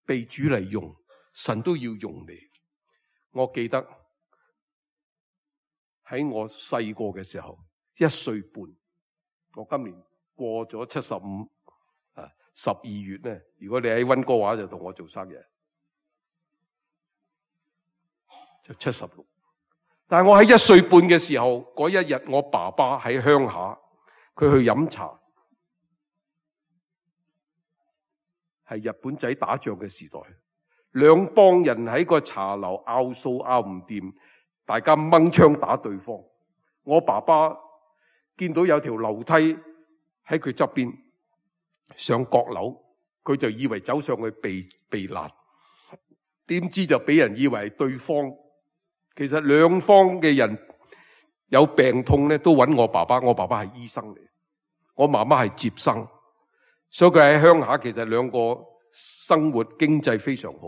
被主嚟用，神都要用你。我記得喺我細個嘅時候，1歲半，我今年過咗75，12月咧，如果你喺溫哥華就同我做生日，就76。但係我喺1歲半嘅時候，嗰一日我爸爸喺鄉下，佢去飲茶，係日本仔打仗嘅時代，兩幫人喺個茶樓拗數拗唔掂，大家掹槍打對方。我爸爸見到有條樓梯喺佢側邊上閣樓，佢就以為走上去避難，點知就俾人以為係對方。其實兩方嘅人有病痛咧，都揾我爸爸。我爸爸係醫生嚟，我媽媽係接生，所以佢喺鄉下其實兩個生活經濟非常好。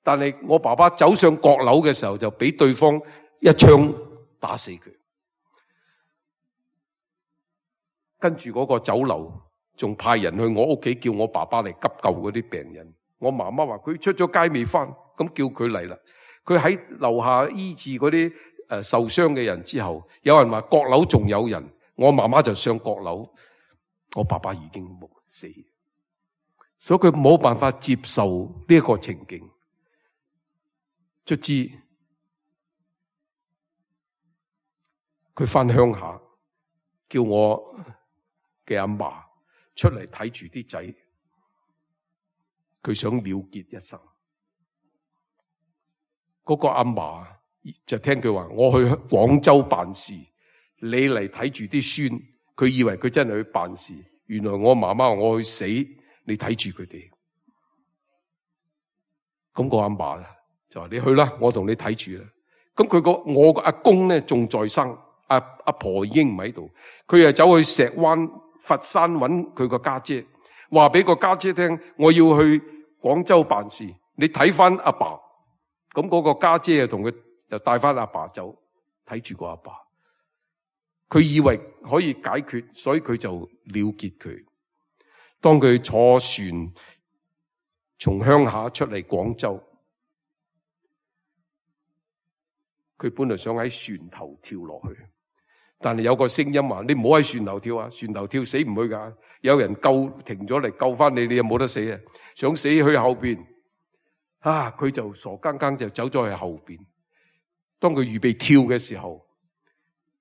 但係我爸爸走上閣樓嘅時候，就俾對方一槍打死佢。跟住嗰個酒樓仲派人去我屋企叫我爸爸嚟急救嗰啲病人。我媽媽話佢出咗街未返，咁叫佢嚟啦。佢喺樓下醫治嗰啲受傷嘅人之後，有人話閣樓仲有人，我媽媽就上閣樓，我爸爸已經死，所以佢冇辦法接受呢一個情景。卒之佢返鄉下，叫我嘅阿嫲出嚟睇住啲仔，佢想了結一生。嗰個阿嫲就聽佢話，我去廣州辦事，你嚟睇住啲孫。佢以為佢真係去辦事，原來我媽媽話我去死，你睇住佢哋。咁個阿嫲就話你去啦，我同你睇住啦。咁我個阿公咧仲在生，阿婆已經唔喺度，佢又走去石灣佛山揾佢個家姐，話俾個家姐聽，我要去廣州辦事，你睇翻阿爸。咁嗰個家姐又同佢又帶翻阿爸走，睇住個阿爸。佢以為可以解決，所以佢就了結佢。當佢坐船從鄉下出嚟廣州，佢本來想喺船頭跳落去，但係有個聲音話：你唔好喺船頭跳啊！船頭跳死唔去噶，有人停咗嚟救翻你，你又冇得死啊！想死去後邊。佢就傻更更就走咗去後邊。當佢預備跳嘅時候，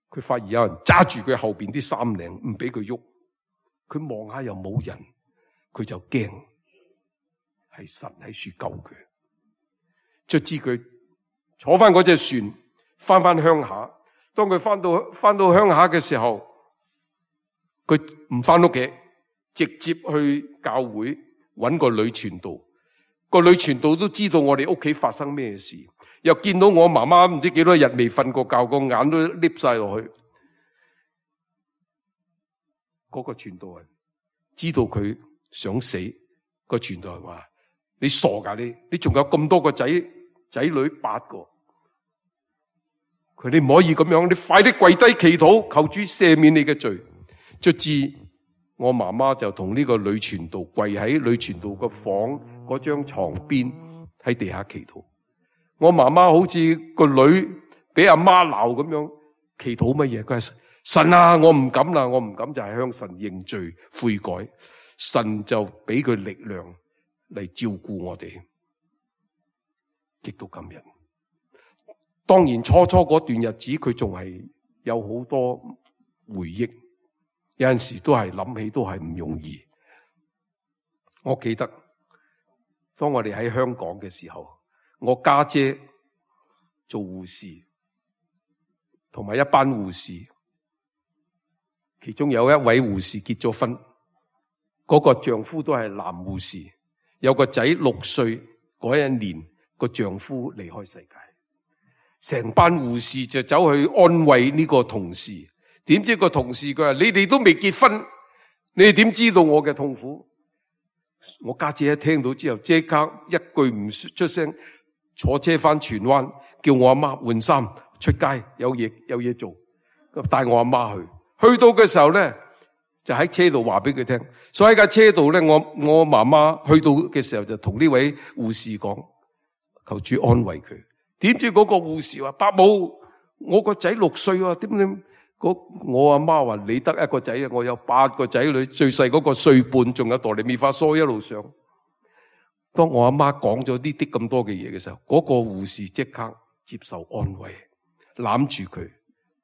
佢發現有人揸住佢後邊啲衫領，唔俾佢喐。佢望下又冇人，佢就驚，係神喺樹救佢。卒之佢坐翻嗰隻船，翻鄉下。當佢翻到鄉下嘅時候，佢唔翻屋企，直接去教會揾個女傳道。個女傳道都知道我哋屋企發生咩事，又見到我媽媽唔知幾多日未瞓過覺，個眼都凹晒落去。嗰個傳道人知道佢想死，個傳道人話：你傻噶，你仲有咁多個仔女8個，佢你唔可以咁樣，你快啲跪低祈禱，求主赦免你嘅罪。卒之我媽媽就同呢個女傳道跪喺女傳道個房嗰張床邊喺地下祈禱。我媽媽好似個女俾阿媽鬧咁樣，祈禱乜嘢？佢話：神啊，我唔敢啦，我唔敢，就係向神認罪悔改。神就俾佢力量嚟照顧我哋，直到今日。當然初嗰段日子佢仲係有好多回憶，有陣時都係諗起都係唔容易。我記得當我哋喺香港嘅時候，我家姐做護士，同埋一班護士，其中有一位護士結咗婚，嗰個丈夫都係男護士，有個仔6歲嗰一年，個丈夫離開世界，成班護士就走去安慰呢個同事。點知個同事佢話：你哋都未結婚，你哋點知道我嘅痛苦？我家姐一聽到之後，即刻一句唔出聲，坐車翻荃灣，叫我阿媽換衫出街，有嘢做，帶我阿媽去。去到嘅時候咧，就喺車度話俾佢聽。所以喺架車度咧，我媽媽去到嘅時候就同呢位護士講，求主安慰佢。點知嗰個護士話：伯母，我個仔6歲啊，點？我阿媽話：你得一個仔啊，我有8個仔女，最細嗰個1歲半，仲有哆唻咪發嗦一路上。當我阿媽講咗呢啲咁多嘅嘢嘅時候，嗰個護士即刻接受安慰，攬住佢：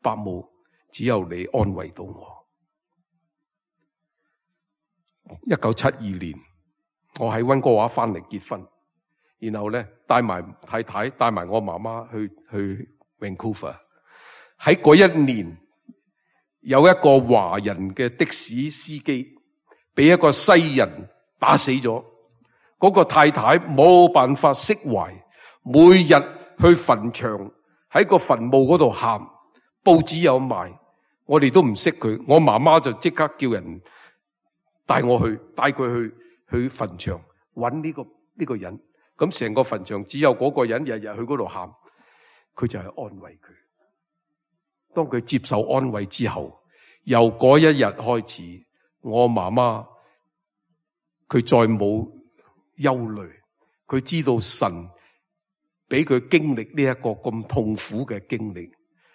伯母，只有你安慰到我。1972年，我喺溫哥華翻嚟結婚，然後咧帶埋太太帶埋我媽媽去 Vancouver。喺嗰一年，有一個華人嘅的士司機俾一個西人打死咗。嗰個太太冇辦法釋懷，每日去墳場喺個墳墓嗰度喊，報紙有賣，我哋都唔識佢。我媽媽就即刻叫人帶佢去墳場揾呢個人。咁成個墳場只有嗰個人日日去嗰度喊，佢就係安慰佢。當佢接受安慰之後，由嗰一日開始，我媽媽佢再冇憂慮，佢知道神俾佢經歷呢一個咁痛苦嘅經歷，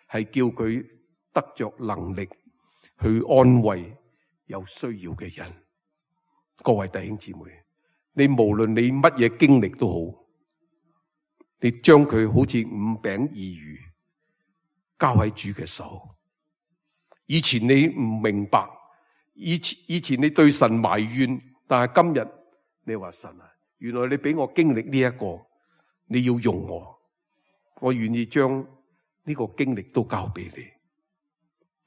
係叫佢得着能力去安慰有需要嘅人。各位弟兄姊妹，你無論你乜嘢經歷都好，你將佢好似5餅2魚交喺主嘅手。以前你唔明白，以前你對神埋怨，但係今日你話神啊，原來你俾我經歷呢一個，你要用我願意將呢個經歷都交俾你，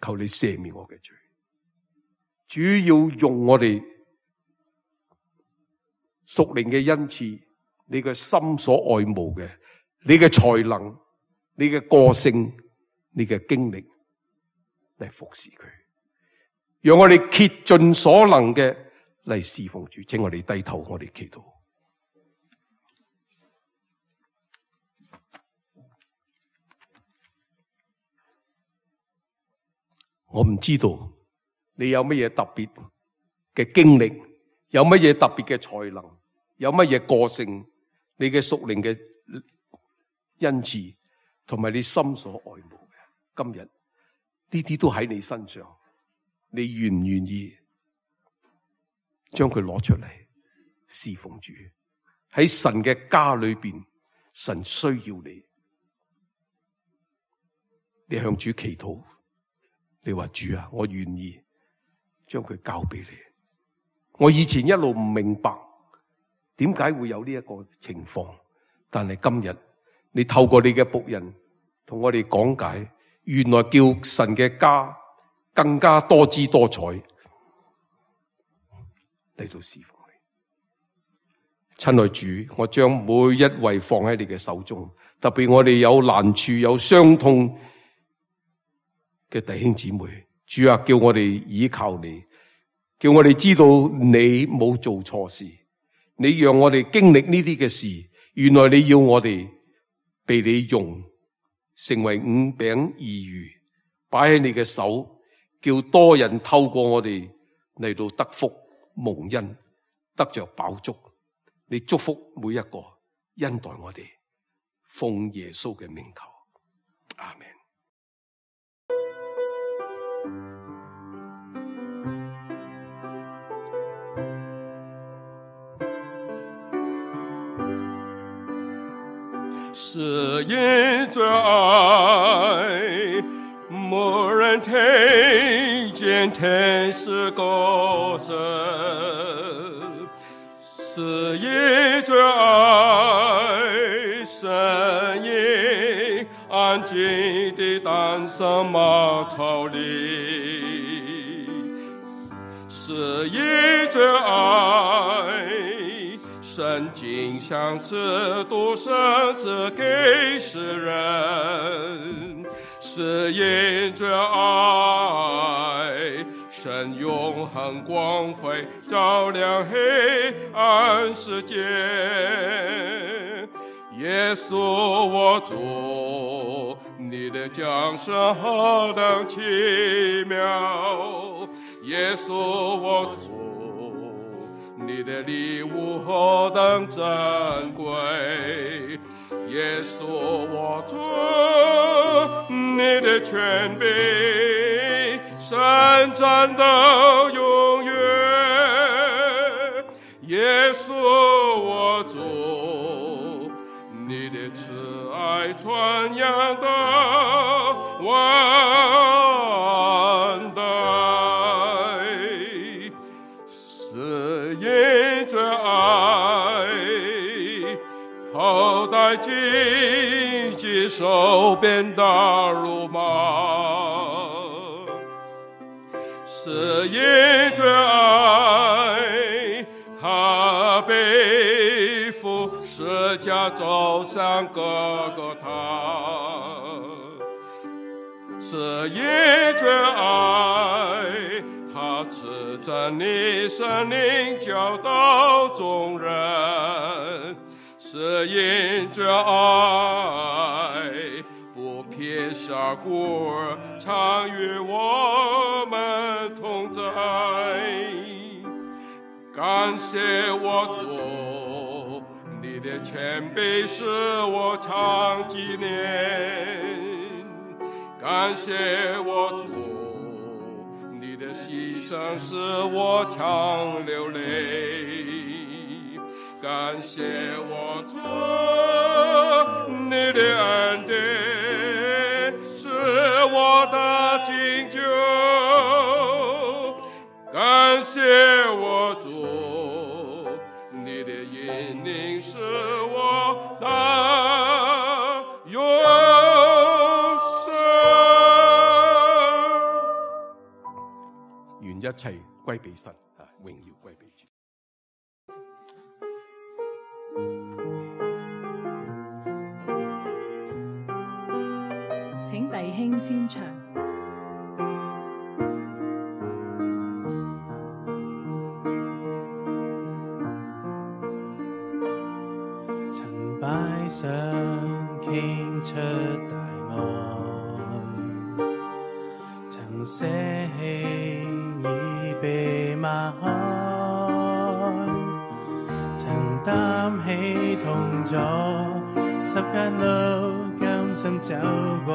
求你赦免我嘅罪。主要用我哋屬靈嘅恩賜，你嘅心所愛慕嘅，你嘅才能，你嘅個性，你嘅經歷嚟服侍佢，讓我哋竭盡所能嘅嚟侍奉主。請我哋低頭，我哋祈禱。我唔知道你有乜嘢特別嘅經歷，有乜嘢特別嘅才能，有乜嘢個性，你嘅屬靈嘅恩賜，同埋你心所愛慕嘅，今日呢啲都喺你身上，你願唔願意將佢攞出嚟侍奉主？喺神嘅家裏邊，神需要你，你向主祈禱，你話主啊，我願意將佢交俾你。我以前一路唔明白點解會有呢一個情況，但係今日你透過你嘅僕人同我哋講解，原來叫神嘅家更加多姿多彩嚟到侍奉你。親愛主，我將每一位放喺你嘅手中，特別我哋有難處有傷痛嘅弟兄姊妹，主啊，叫我哋依靠你，叫我哋知道你冇做錯事，你讓我哋經歷呢啲嘅事，原來你要我哋被你用，成為5餅2魚，擺喺你嘅手，叫多人透過我哋嚟到得福蒙恩，得着飽足。你祝福每一個，恩待我哋，奉耶穌嘅名求，阿們。是因着愛，沒人聽見天使歌聲；是因着愛，神嬰安靜地誕生馬槽裏；是因着愛，聖經像是獨生子給世人，是因着愛，神永恆光輝照亮黑暗世界。耶穌我主，你的降生何等奇妙！耶穌我主，你的禮物何等珍貴，耶穌我主，你的權柄伸展到永遠，耶穌我主，你的慈愛傳揚到萬代。因着愛，快紧接受鞭打辱骂，是因着爱，他背负十架走上各个他，是因着爱，他赐着你生灵教导众人，是因着爱，不撇下孤儿，常与我们同在。感谢我主，你的谦卑使我常纪念。感谢我主，你的牺牲使我常流泪。感谢我主，你的恩典是我的拯救。感谢我主，你的引领是我的永生。願一切歸俾神，榮耀歸俾主。請弟兄先唱。曾擺上傾出大愛，曾捨棄已被抹開，曾擔起痛楚十架路甘心走過，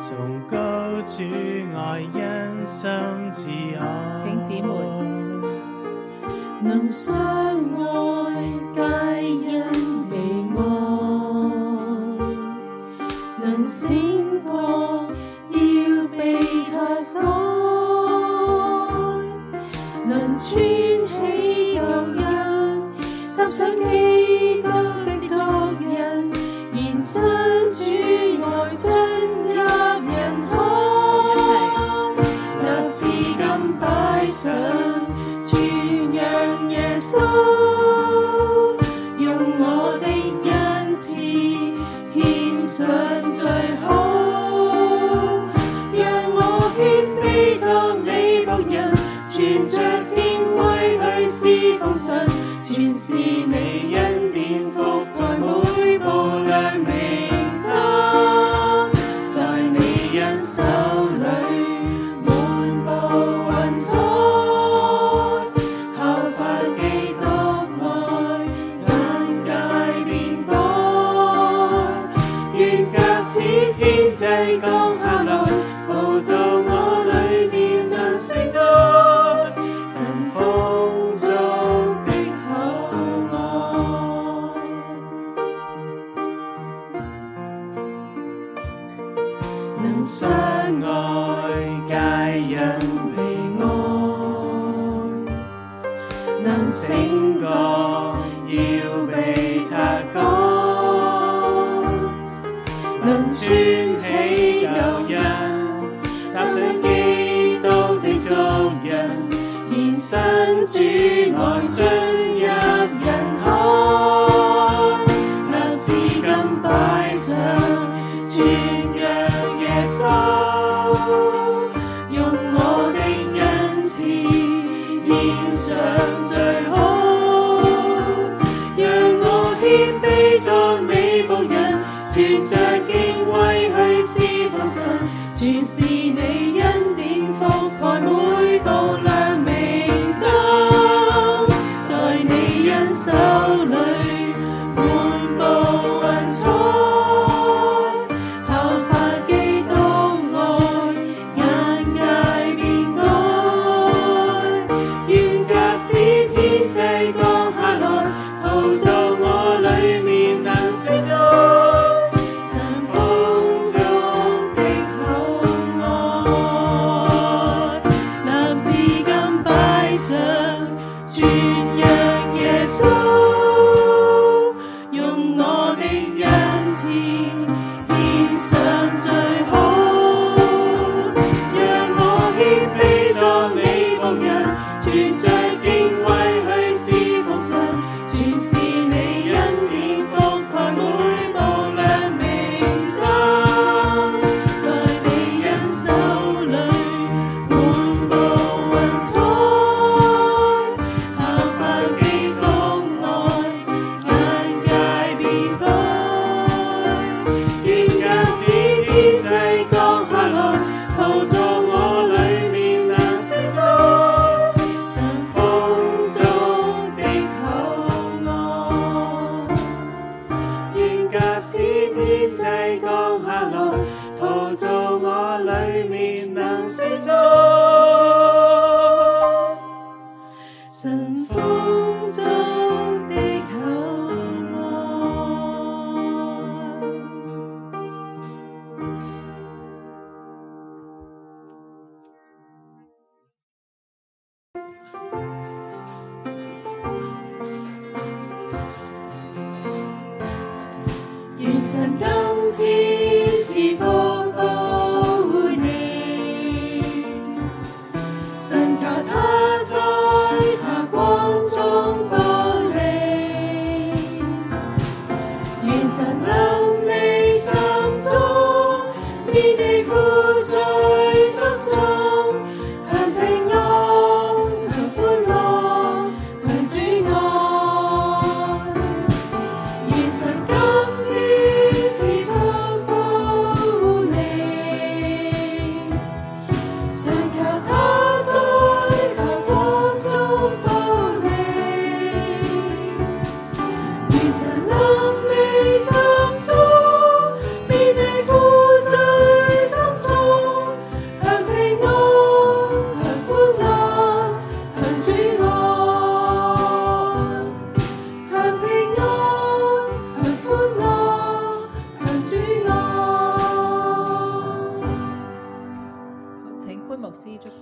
崇高主愛因心自可。請姊妹能相愛皆因被愛，能醒覺要被擦乾，能穿起舊人，踏上基督的足印，延伸主愛進入人海，立志今擺上傳揚耶穌，用我的恩賜獻上最好，讓我謙卑作你僕人，存着敬畏去侍奉神，全是你恩典覆蓋每步亮明燈，在你恩手裏滿布雲彩，效法基督愛，眼界變改，願鴿子天際降下來，陶造我裏面能承載神豐足的厚愛，能相愛皆因被愛，能醒覺要被擦乾，能穿起舊人，踏上基督的足印，延伸主愛進入人海，立志今擺上傳揚耶穌，用我的恩賜獻上最好，讓我謙卑作你僕人，存着敬畏去侍奉神，全是你恩典覆蓋每步亮明燈，在你恩手裏滿布雲彩，效法基督愛，眼界變改，願鴿子天際降下來，陶造我裏面能承載神豐足的厚愛，立志今擺上傳揚耶穌，用我的恩幸福中的厚愛。願神今天賜福保護你，神求他在他光中保你，願神臨你心中，免你苦在心中，享平安，享歡樂，享主愛。願神今天賜福保護你，神求他在他光中保你，願神臨你心中，免你苦在心中，享平安，享歡樂，享主愛，享平安，享歡樂，享主愛。請潘牧師祝福。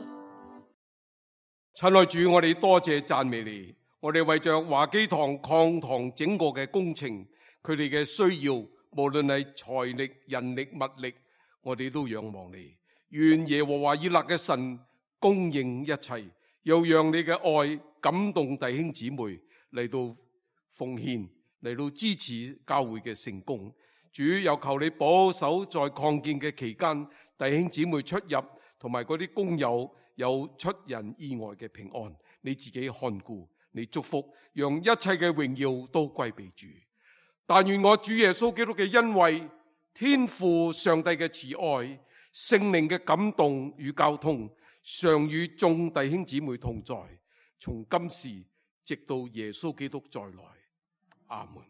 親愛主，我哋多謝讚美你，我哋為着華基堂擴堂整個嘅工程，佢哋嘅需要，無論係財力、人力、物力，我哋都仰望你。願耶和華以勒嘅神供應一切，又讓你嘅愛感動弟兄姊妹嚟到奉獻，嚟到支持教會嘅成功。主又求你保守在擴建嘅期間，弟兄姊妹出入同埋嗰啲工友有出人意外嘅平安。你自己看顧，你祝福，讓一切嘅榮耀都歸俾主。但願我主耶穌基督嘅恩惠、天父上帝嘅慈愛、聖靈嘅感動與交通，常與眾弟兄姊妹同在，從今時直到耶穌基督再來。阿門。